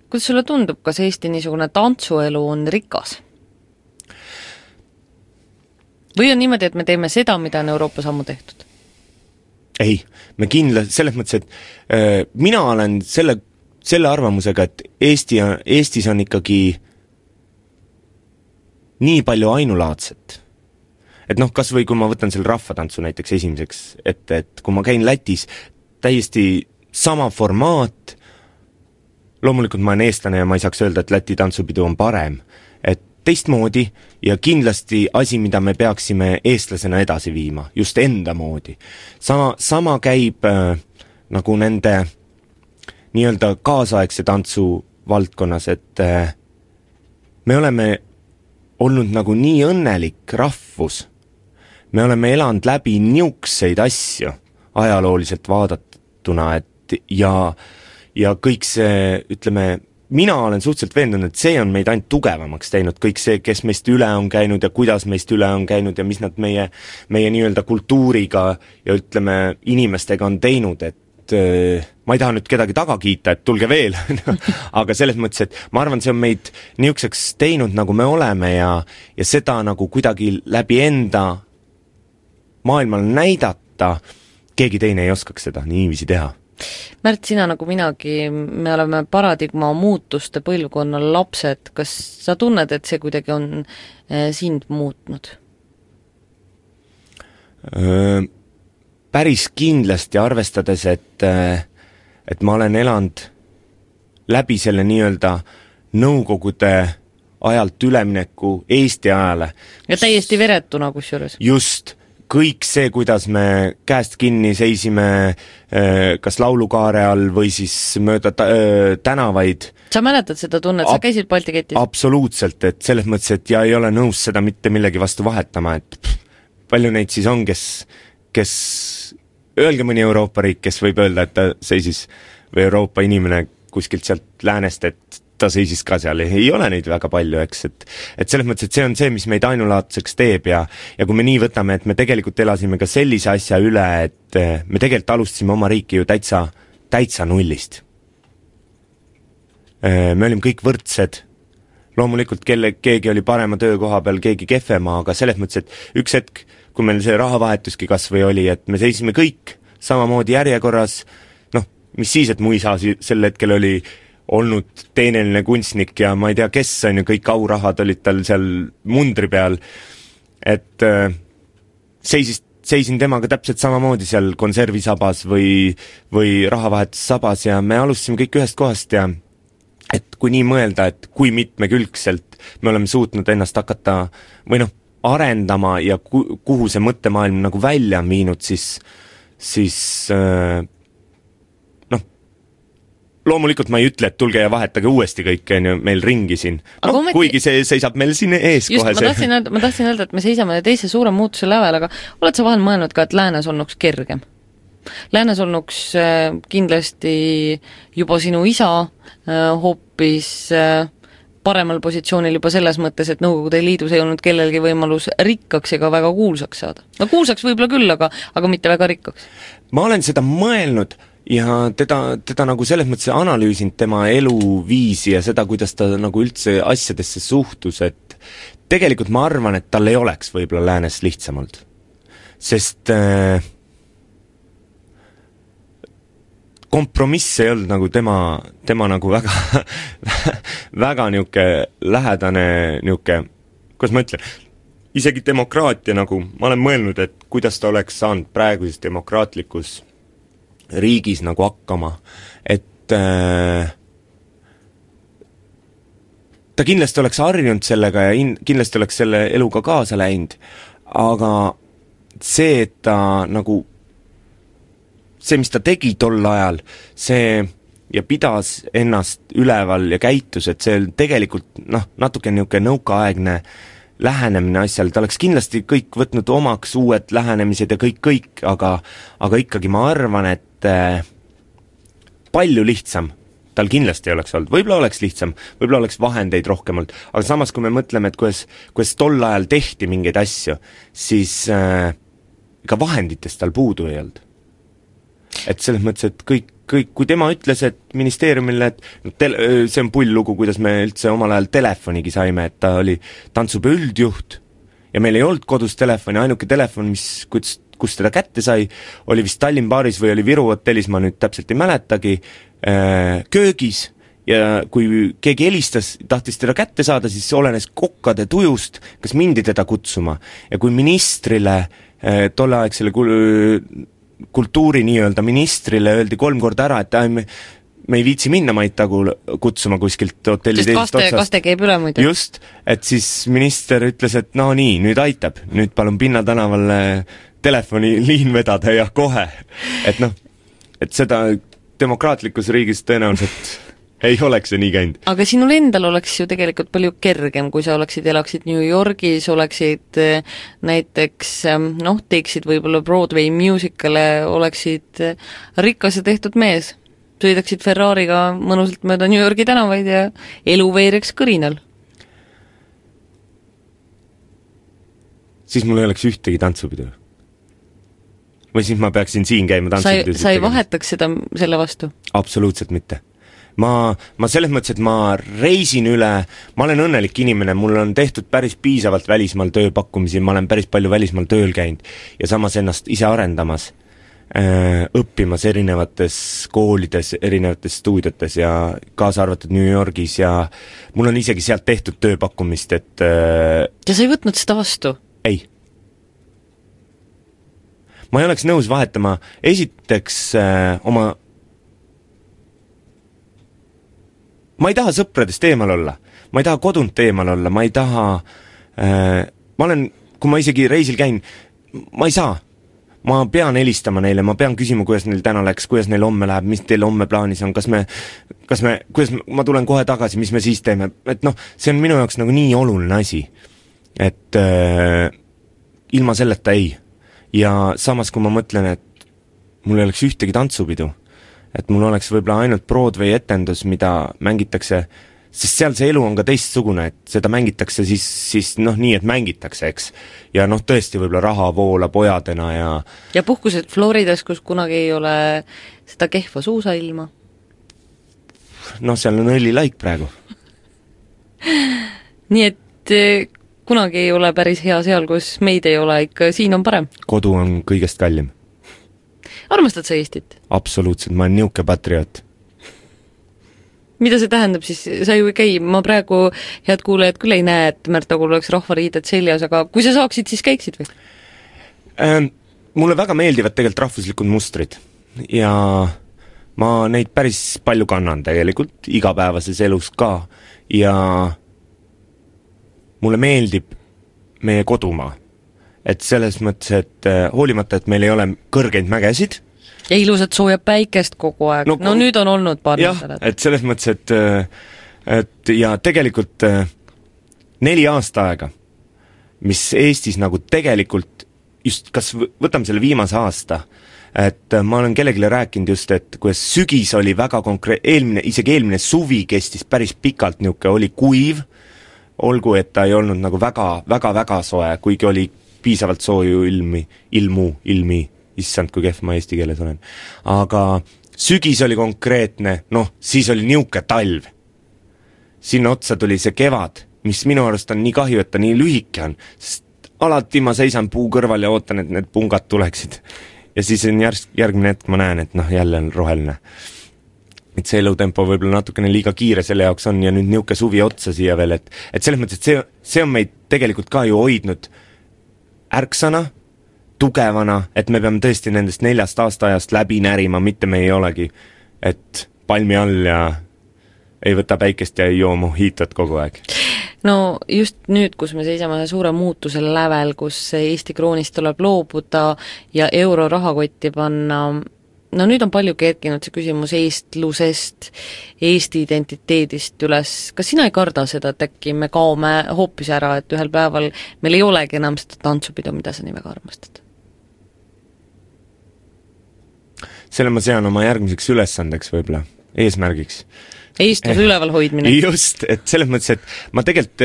S1: kuidas sulle tundub, kas Eesti niisugune tantsuelu on rikas? Või on niimoodi, et me teeme seda, mida on Euroopas ammu tehtud?
S2: Ei, me kindla, selles mõttes, et äh, mina olen selle, selle arvamusega, et Eesti, Eestis on ikkagi nii palju ainulaadset. Et noh, kas või kui ma võtan selle rahvatantsu näiteks esimeseks, et, et kui ma käin Lätis, täiesti sama formaat, loomulikult ma olen eestlane ja ma ei saaks öelda, et Läti tantsupidu on parem, et teistmoodi ja kindlasti asi, mida me peaksime eestlasena edasi viima, just enda moodi. Sama, sama käib äh, nagu nende nii-öelda kaasaegse tantsu valdkonnas, et äh, me oleme olnud nagu nii õnnelik rahvus. Me oleme elanud läbi niukseid asju ajalooliselt vaadatuna, et ja, ja kõik see, ütleme, mina olen suhteliselt veendunud, et see on meid ainult tugevamaks teinud, kõik see, kes meist üle on käinud ja kuidas meist üle on käinud ja mis nad meie, meie nii-öelda kultuuriga ja ütleme, inimestega on teinud, et ma ei taha nüüd kedagi taga kiita, et tulge veel, aga selles mõttes, et ma arvan, see on meid niisuguseks teinud, nagu me oleme ja, ja seda nagu kuidagi läbi enda maailmale näidata, keegi teine ei oskaks seda niiviisi teha.
S1: Märt, sina nagu minagi, me oleme paradigma muutuste põlvkonnal lapsed, kas sa tunned, et see kuidagi on eh, sind muutnud?
S2: Öö päris kindlasti arvestades, et, et ma olen elanud läbi selle nii-öelda nõukogude ajalt ülemineku Eesti ajale.
S1: Ja täiesti veretuna kusjuures.
S2: Just, kõik see, kuidas me käest kinni seisime kas laulukaare all või siis mööda tänavaid.
S1: Sa mäletad seda tunnet, sa käisid Balti ketis?
S2: Absoluutselt, et selles mõttes, et ja ei ole nõus seda mitte millegi vastu vahetama, et pff, palju neid siis on, kes kes, öelge mõni Euroopa riik, kes võib öelda, et ta seisis, või Euroopa inimene kuskilt sealt läänest, et ta seisis ka seal, ei ole neid väga palju, eks, et, et selles mõttes, et see on see, mis meid ainulaadseks teeb ja, ja kui me nii võtame, et me tegelikult elasime ka sellise asja üle, et me tegelikult alustasime oma riiki ju täitsa, täitsa nullist. Me olime kõik võrdsed, loomulikult kelle, keegi oli parema töökoha peal, keegi kehvema, aga selles mõttes, et üks hetk, kui meil see rahavahetuski kas või oli, et me seisime kõik samamoodi järjekorras, noh, mis siis, et mu isa sel hetkel oli olnud teeneline kunstnik ja ma ei tea, kes on ju, kõik aurahad olid tal seal mundri peal, et äh, seisis, seisin temaga täpselt samamoodi seal konservisabas või, või rahavahetussabas ja me alustasime kõik ühest kohast ja et kui nii mõelda, et kui mitmekülgselt me oleme suutnud ennast hakata või noh, arendama ja kuhu see mõttemaailm nagu välja on viinud, siis siis äh, noh, loomulikult ma ei ütle, et tulge ja vahetage uuesti kõik, on ju, meil ringi siin. No, ometi... kuigi see seisab meil siin ees
S1: just,
S2: kohe
S1: ma tahtsin, öelda, ma tahtsin öelda, et me seisame teise suure muutuse lävel, aga oled sa vahel mõelnud ka, et läänes olnuks kergem? Läänes olnuks äh, kindlasti juba sinu isa äh, hoopis äh, paremal positsioonil juba selles mõttes, et Nõukogude Liidus ei olnud kellelgi võimalus rikkaks ega väga kuulsaks saada. No kuulsaks võib-olla küll, aga, aga mitte väga rikkaks.
S2: Ma olen seda mõelnud ja teda, teda nagu selles mõttes analüüsinud tema eluviisi ja seda, kuidas ta nagu üldse asjadesse suhtus, et tegelikult ma arvan, et tal ei oleks võib-olla läänes lihtsam olnud. Sest äh, kompromiss ei olnud nagu tema, tema nagu väga väga niuke lähedane niuke, kuidas ma ütlen, isegi demokraatia nagu, ma olen mõelnud, et kuidas ta oleks saanud praeguses demokraatlikus riigis nagu hakkama, et äh, ta kindlasti oleks harjunud sellega ja in, kindlasti oleks selle eluga kaasa läinud, aga see, et ta nagu see, mis ta tegi tol ajal, see ja pidas ennast üleval ja käitus, et see tegelikult noh, natuke niisugune nõukaaegne lähenemine asjal, ta oleks kindlasti kõik võtnud omaks uued lähenemised ja kõik, kõik, aga, aga ikkagi ma arvan, et äh, palju lihtsam tal kindlasti ei oleks olnud, võib-olla oleks lihtsam, võib-olla oleks vahendeid rohkem olnud, aga samas, kui me mõtleme, et kuidas, kuidas tol ajal tehti mingeid asju, siis äh, ega vahenditest tal puudu ei olnud. Et selles mõttes, et kõik, kõik, kui tema ütles, et ministeeriumile, et tel-, see on pull lugu, kuidas me üldse omal ajal telefonigi saime, et ta oli tantsupeo üldjuht ja meil ei olnud kodus telefoni, ainuke telefon, mis, kus, kus teda kätte sai, oli vist Tallinn baaris või oli Viru hotellis, ma nüüd täpselt ei mäletagi, äh, köögis ja kui keegi helistas, tahtis teda kätte saada, siis olenes kokkade tujust, kas mindi teda kutsuma ja kui ministrile äh, tolleaegsele kul- kultuuri nii-öelda ministrile öeldi kolm korda ära, et me, me ei viitsi minna Maitagu kutsuma kuskilt hotelli teisest
S1: otsast. Kaste käib üle muidu.
S2: Just, et siis minister ütles, et no nii, nüüd aitab, nüüd palun Pinna tänavale telefoniliin vedada ja kohe. Et noh, et seda demokraatlikus riigis tõenäoliselt ei oleks see nii käinud.
S1: Aga sinul endal oleks ju tegelikult palju kergem, kui sa oleksid, elaksid New Yorgis, oleksid näiteks, noh, teeksid võib-olla Broadway musicale, oleksid rikas ja tehtud mees. Sõidaksid Ferrariga mõnusalt mööda New Yorgi tänavaid ja elu veeriks kõrinal.
S2: Siis mul ei oleks ühtegi tantsupidu. Või siis ma peaksin siin käima tantsupidu.
S1: Sa ei vahetaks seda selle vastu?
S2: Absoluutselt mitte. Ma, ma selles mõttes, et ma reisin üle, ma olen õnnelik inimene, mul on tehtud päris piisavalt välismaal tööpakkumisi, ma olen päris palju välismaal tööl käinud ja samas ennast ise arendamas, õppimas erinevates koolides, erinevates stuudiotes ja kaasa arvatud New Yorgis ja mul on isegi sealt tehtud tööpakkumist, et
S1: ja sa ei võtnud seda vastu?
S2: Ei. Ma ei oleks nõus vahetama esiteks äh, oma ma ei taha sõpradest eemal olla, ma ei taha kodunt eemal olla, ma ei taha äh, ma olen, kui ma isegi reisil käin, ma ei saa, ma pean helistama neile, ma pean küsima, kuidas neil täna läks, kuidas neil homme läheb, mis teil homme plaanis on, kas me, kas me, kuidas ma tulen kohe tagasi, mis me siis teeme, et noh, see on minu jaoks nagu nii oluline asi, et äh, ilma selleta ei. Ja samas, kui ma mõtlen, et mul ei oleks ühtegi tantsupidu, et mul oleks võib-olla ainult Broadway etendus, mida mängitakse, sest seal see elu on ka teistsugune, et seda mängitakse siis, siis noh, nii, et mängitakse, eks. Ja noh, tõesti võib-olla raha voola pojadena ja
S1: ja puhkused Floridas, kus kunagi ei ole seda kehva suusailma?
S2: Noh, seal on õlilaik praegu.
S1: Nii et kunagi ei ole päris hea seal, kus meid ei ole, ikka siin on parem.
S2: Kodu on kõigest kallim.
S1: Armastad sa Eestit?
S2: Absoluutselt, ma olen niuke patrioot.
S1: Mida see tähendab siis? Sa ju ei käi, ma praegu head kuulajad küll ei näe, et Märtagul oleks rahvariided seljas, aga kui sa saaksid, siis käiksid või?
S2: Ähm, mulle väga meeldivad tegelikult rahvuslikud mustrid ja ma neid päris palju kannan tegelikult, igapäevases elus ka ja mulle meeldib meie kodumaa. et selles mõttes, et hoolimata, et meil ei ole kõrgeid mägesid,
S1: ja ilusat sooja päikest kogu aeg, no, no nüüd on olnud paar
S2: nädalat. Et selles mõttes, et, et ja tegelikult neli aasta aega, mis Eestis nagu tegelikult just, kas võtame selle viimase aasta, et ma olen kellegile rääkinud just, et kuidas sügis oli väga konkreet-, eelmine, isegi eelmine suvi kestis päris pikalt niuke, oli kuiv, olgu, et ta ei olnud nagu väga, väga, väga soe, kuigi oli piisavalt sooju ilmi, ilmu, ilmi, issand, kui kehv ma eesti keeles olen. Aga sügis oli konkreetne, noh, siis oli niuke talv. Sinna otsa tuli see kevad, mis minu arust on nii kahju, et ta nii lühike on, sest alati ma seisan puu kõrval ja ootan, et need pungad tuleksid. Ja siis on järg, järgmine hetk ma näen, et noh, jälle on roheline. Et see elutempo võib-olla natukene liiga kiire selle jaoks on ja nüüd niuke suvi otsa siia veel, et, et selles mõttes, et see, see on meid tegelikult ka ju hoidnud ärksana, tugevana, et me peame tõesti nendest neljast aastaajast läbi närima, mitte me ei olegi, et palmi all ja ei võta päikest ja ei joo mohitot kogu aeg.
S1: No just nüüd, kus me seisame suure muutusel lävel, kus Eesti kroonist tuleb loobuda ja euro rahakotti panna, no nüüd on palju kerkinud see küsimus eestlusest, Eesti identiteedist üles. Kas sina ei karda seda, et äkki me kaome hoopis ära, et ühel päeval meil ei olegi enam seda tantsupidu, mida sa nii väga armastad?
S2: Selle ma sean oma järgmiseks ülesandeks võib-olla, eesmärgiks.
S1: Eestluse üleval hoidmine.
S2: Just, et selles mõttes, et ma tegelikult,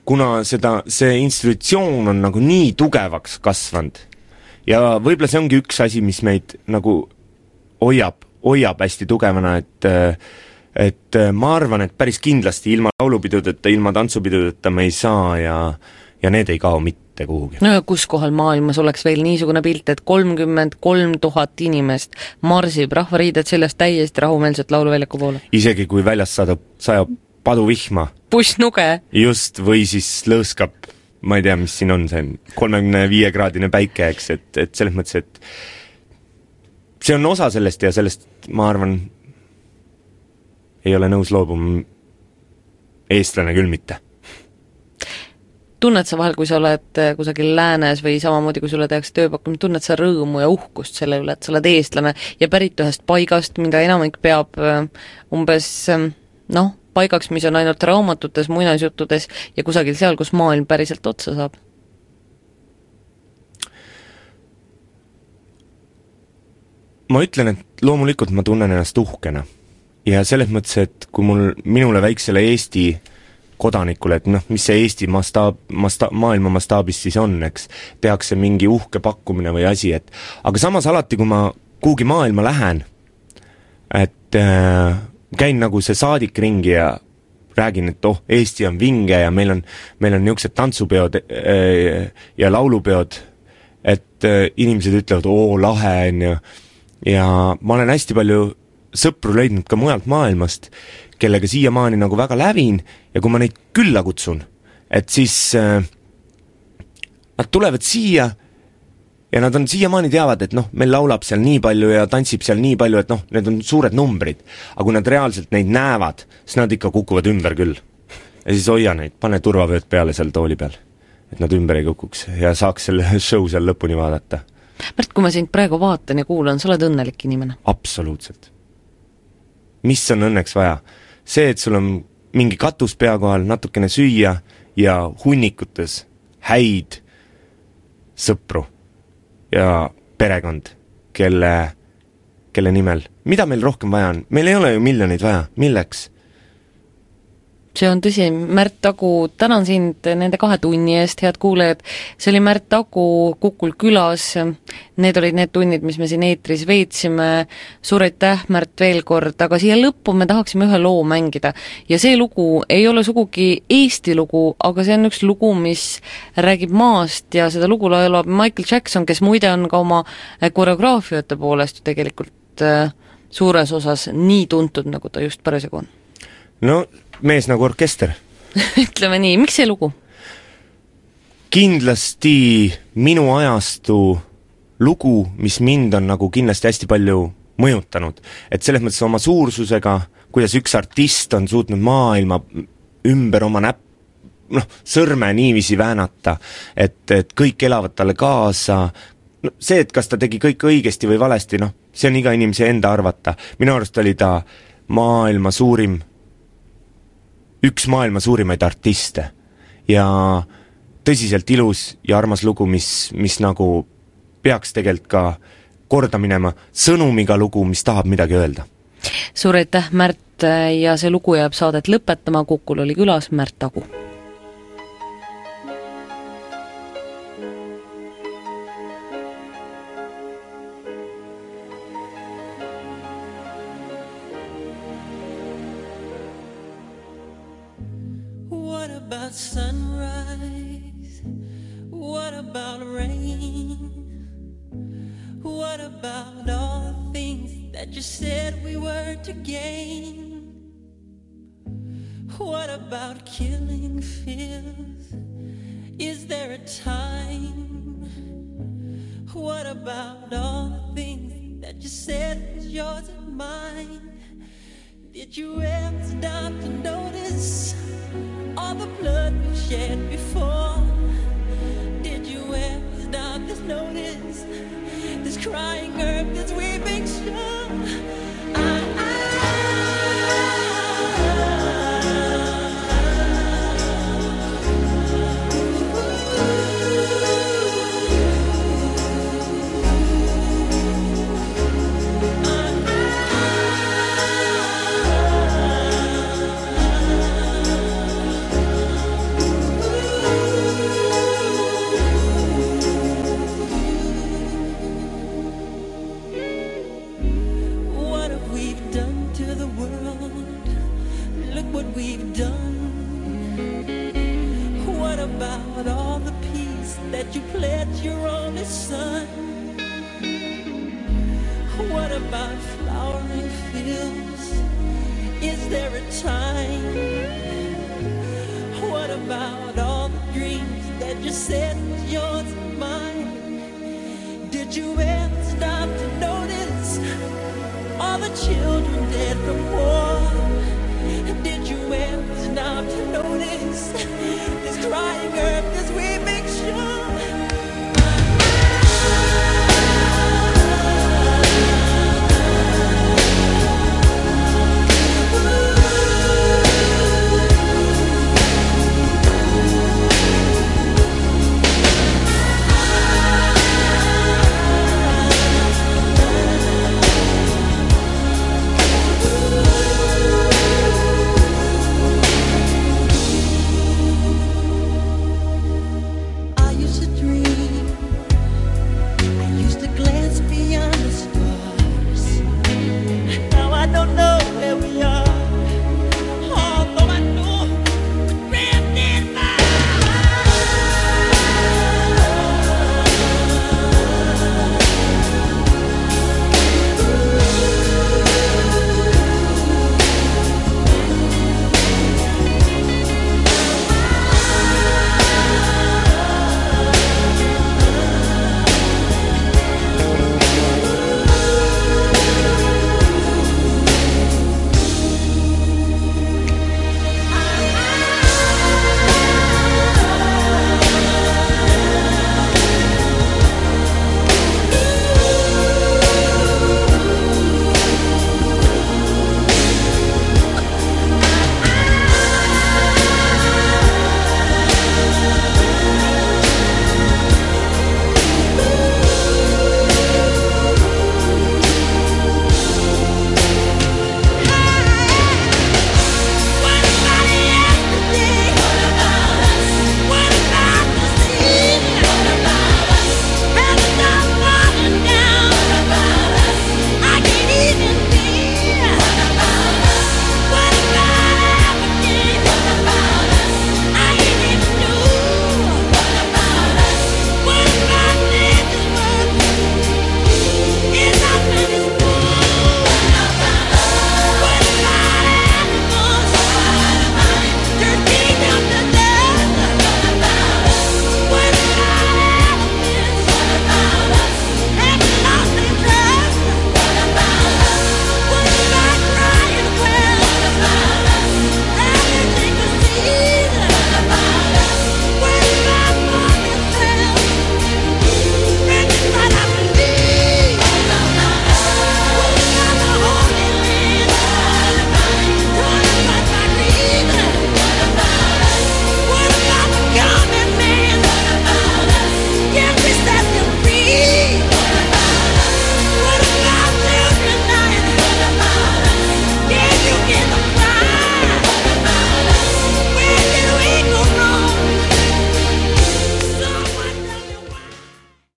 S2: kuna seda, see institutsioon on nagu nii tugevaks kasvanud ja võib-olla see ongi üks asi, mis meid nagu hoiab, hoiab hästi tugevana, et et ma arvan, et päris kindlasti ilma laulupidudeta, ilma tantsupidudeta me ei saa ja, ja need ei kao mitte kuhugi.
S1: No ja kus kohal maailmas oleks veel niisugune pilt, et kolmkümmend kolm tuhat inimest marsib rahvariided sellest täiesti rahumeelselt lauluväljaku poole?
S2: Isegi kui väljas saadab, sajab paduvihma.
S1: Pussnuge.
S2: Just, või siis lõõskab, ma ei tea, mis siin on, see kolmekümne viie kraadine päike, eks, et, et selles mõttes, et see on osa sellest ja sellest, ma arvan, ei ole nõus loobuma eestlane küll mitte.
S1: Tunned sa vahel, kui sa oled kusagil läänes või samamoodi, kui sulle tehakse tööpakkumine, tunned sa rõõmu ja uhkust selle üle, et sa oled eestlane ja pärit ühest paigast, mida enamik peab umbes, noh, paigaks, mis on ainult raamatutes, muinasjuttudes ja kusagil seal, kus maailm päriselt otsa saab?
S2: Ma ütlen, et loomulikult ma tunnen ennast uhkena ja selles mõttes, et kui mul, minule väiksele Eesti kodanikule, et noh, mis see Eesti mastaab, masta, maailma mastaabis siis on, eks, tehakse mingi uhke pakkumine või asi, et aga samas alati, kui ma kuhugi maailma lähen, et äh, käin nagu see saadik ringi ja räägin, et oh, Eesti on vinge ja meil on, meil on niisugused tantsupeod äh, ja laulupeod, et äh, inimesed ütlevad, oo, lahe on ju, ja ma olen hästi palju sõpru leidnud ka mujalt maailmast, kellega siiamaani nagu väga lävin ja kui ma neid külla kutsun, et siis äh, nad tulevad siia ja nad on siiamaani teavad, et noh, meil laulab seal nii palju ja tantsib seal nii palju, et noh, need on suured numbrid, aga kui nad reaalselt neid näevad, siis nad ikka kukuvad ümber küll. Ja siis hoia neid, pane turvavööd peale seal tooli peal, et nad ümber ei kukuks ja saaks selle show seal lõpuni vaadata.
S1: Märt, kui ma sind praegu vaatan ja kuulan, sa oled õnnelik inimene?
S2: Absoluutselt. Mis on õnneks vaja? See, et sul on mingi katus pea kohal, natukene süüa ja hunnikutes häid sõpru ja perekond, kelle, kelle nimel. Mida meil rohkem vaja on? Meil ei ole ju miljoneid vaja. Milleks?
S1: See on tõsi, Märt Tagu, tänan sind nende kahe tunni eest, head kuulejad. See oli Märt Tagu Kukul külas, need olid need tunnid, mis me siin eetris veetsime. Suur aitäh, Märt, veel kord, aga siia lõppu me tahaksime ühe loo mängida. Ja see lugu ei ole sugugi Eesti lugu, aga see on üks lugu, mis räägib maast ja seda lugu laulab Michael Jackson, kes muide on ka oma koreograafiate poolest tegelikult suures osas nii tuntud, nagu ta just parasjagu on.
S2: No mees nagu orkester.
S1: Ütleme nii, miks see lugu?
S2: Kindlasti minu ajastu lugu, mis mind on nagu kindlasti hästi palju mõjutanud. Et selles mõttes oma suursusega, kuidas üks artist on suutnud maailma ümber oma näpp, noh, sõrme niiviisi väänata, et, et kõik elavad talle kaasa, no see, et kas ta tegi kõik õigesti või valesti, noh, see on iga inimese enda arvata. Minu arust oli ta maailma suurim, üks maailma suurimaid artiste ja tõsiselt ilus ja armas lugu, mis, mis nagu peaks tegelikult ka korda minema, sõnumiga lugu, mis tahab midagi öelda.
S1: Suur aitäh, Märt, ja see lugu jääb saadet lõpetama, Kukul oli külas Märt Tagu.
S4: What about sunrise? What about rain? What about all the things that you said we were to gain? What about killing fears? Is there a time? What about all the things that you said was yours and mine? Did you ever stop to notice all the blood we shed before? Did you ever stop to notice this crying earth, this weeping shore? I, I, we've done. What about all the peace that you pledged your only son? What about flowering fields? Is there a time? What about all the dreams that you said was yours and mine? Did you ever stop to notice all the children dead from war?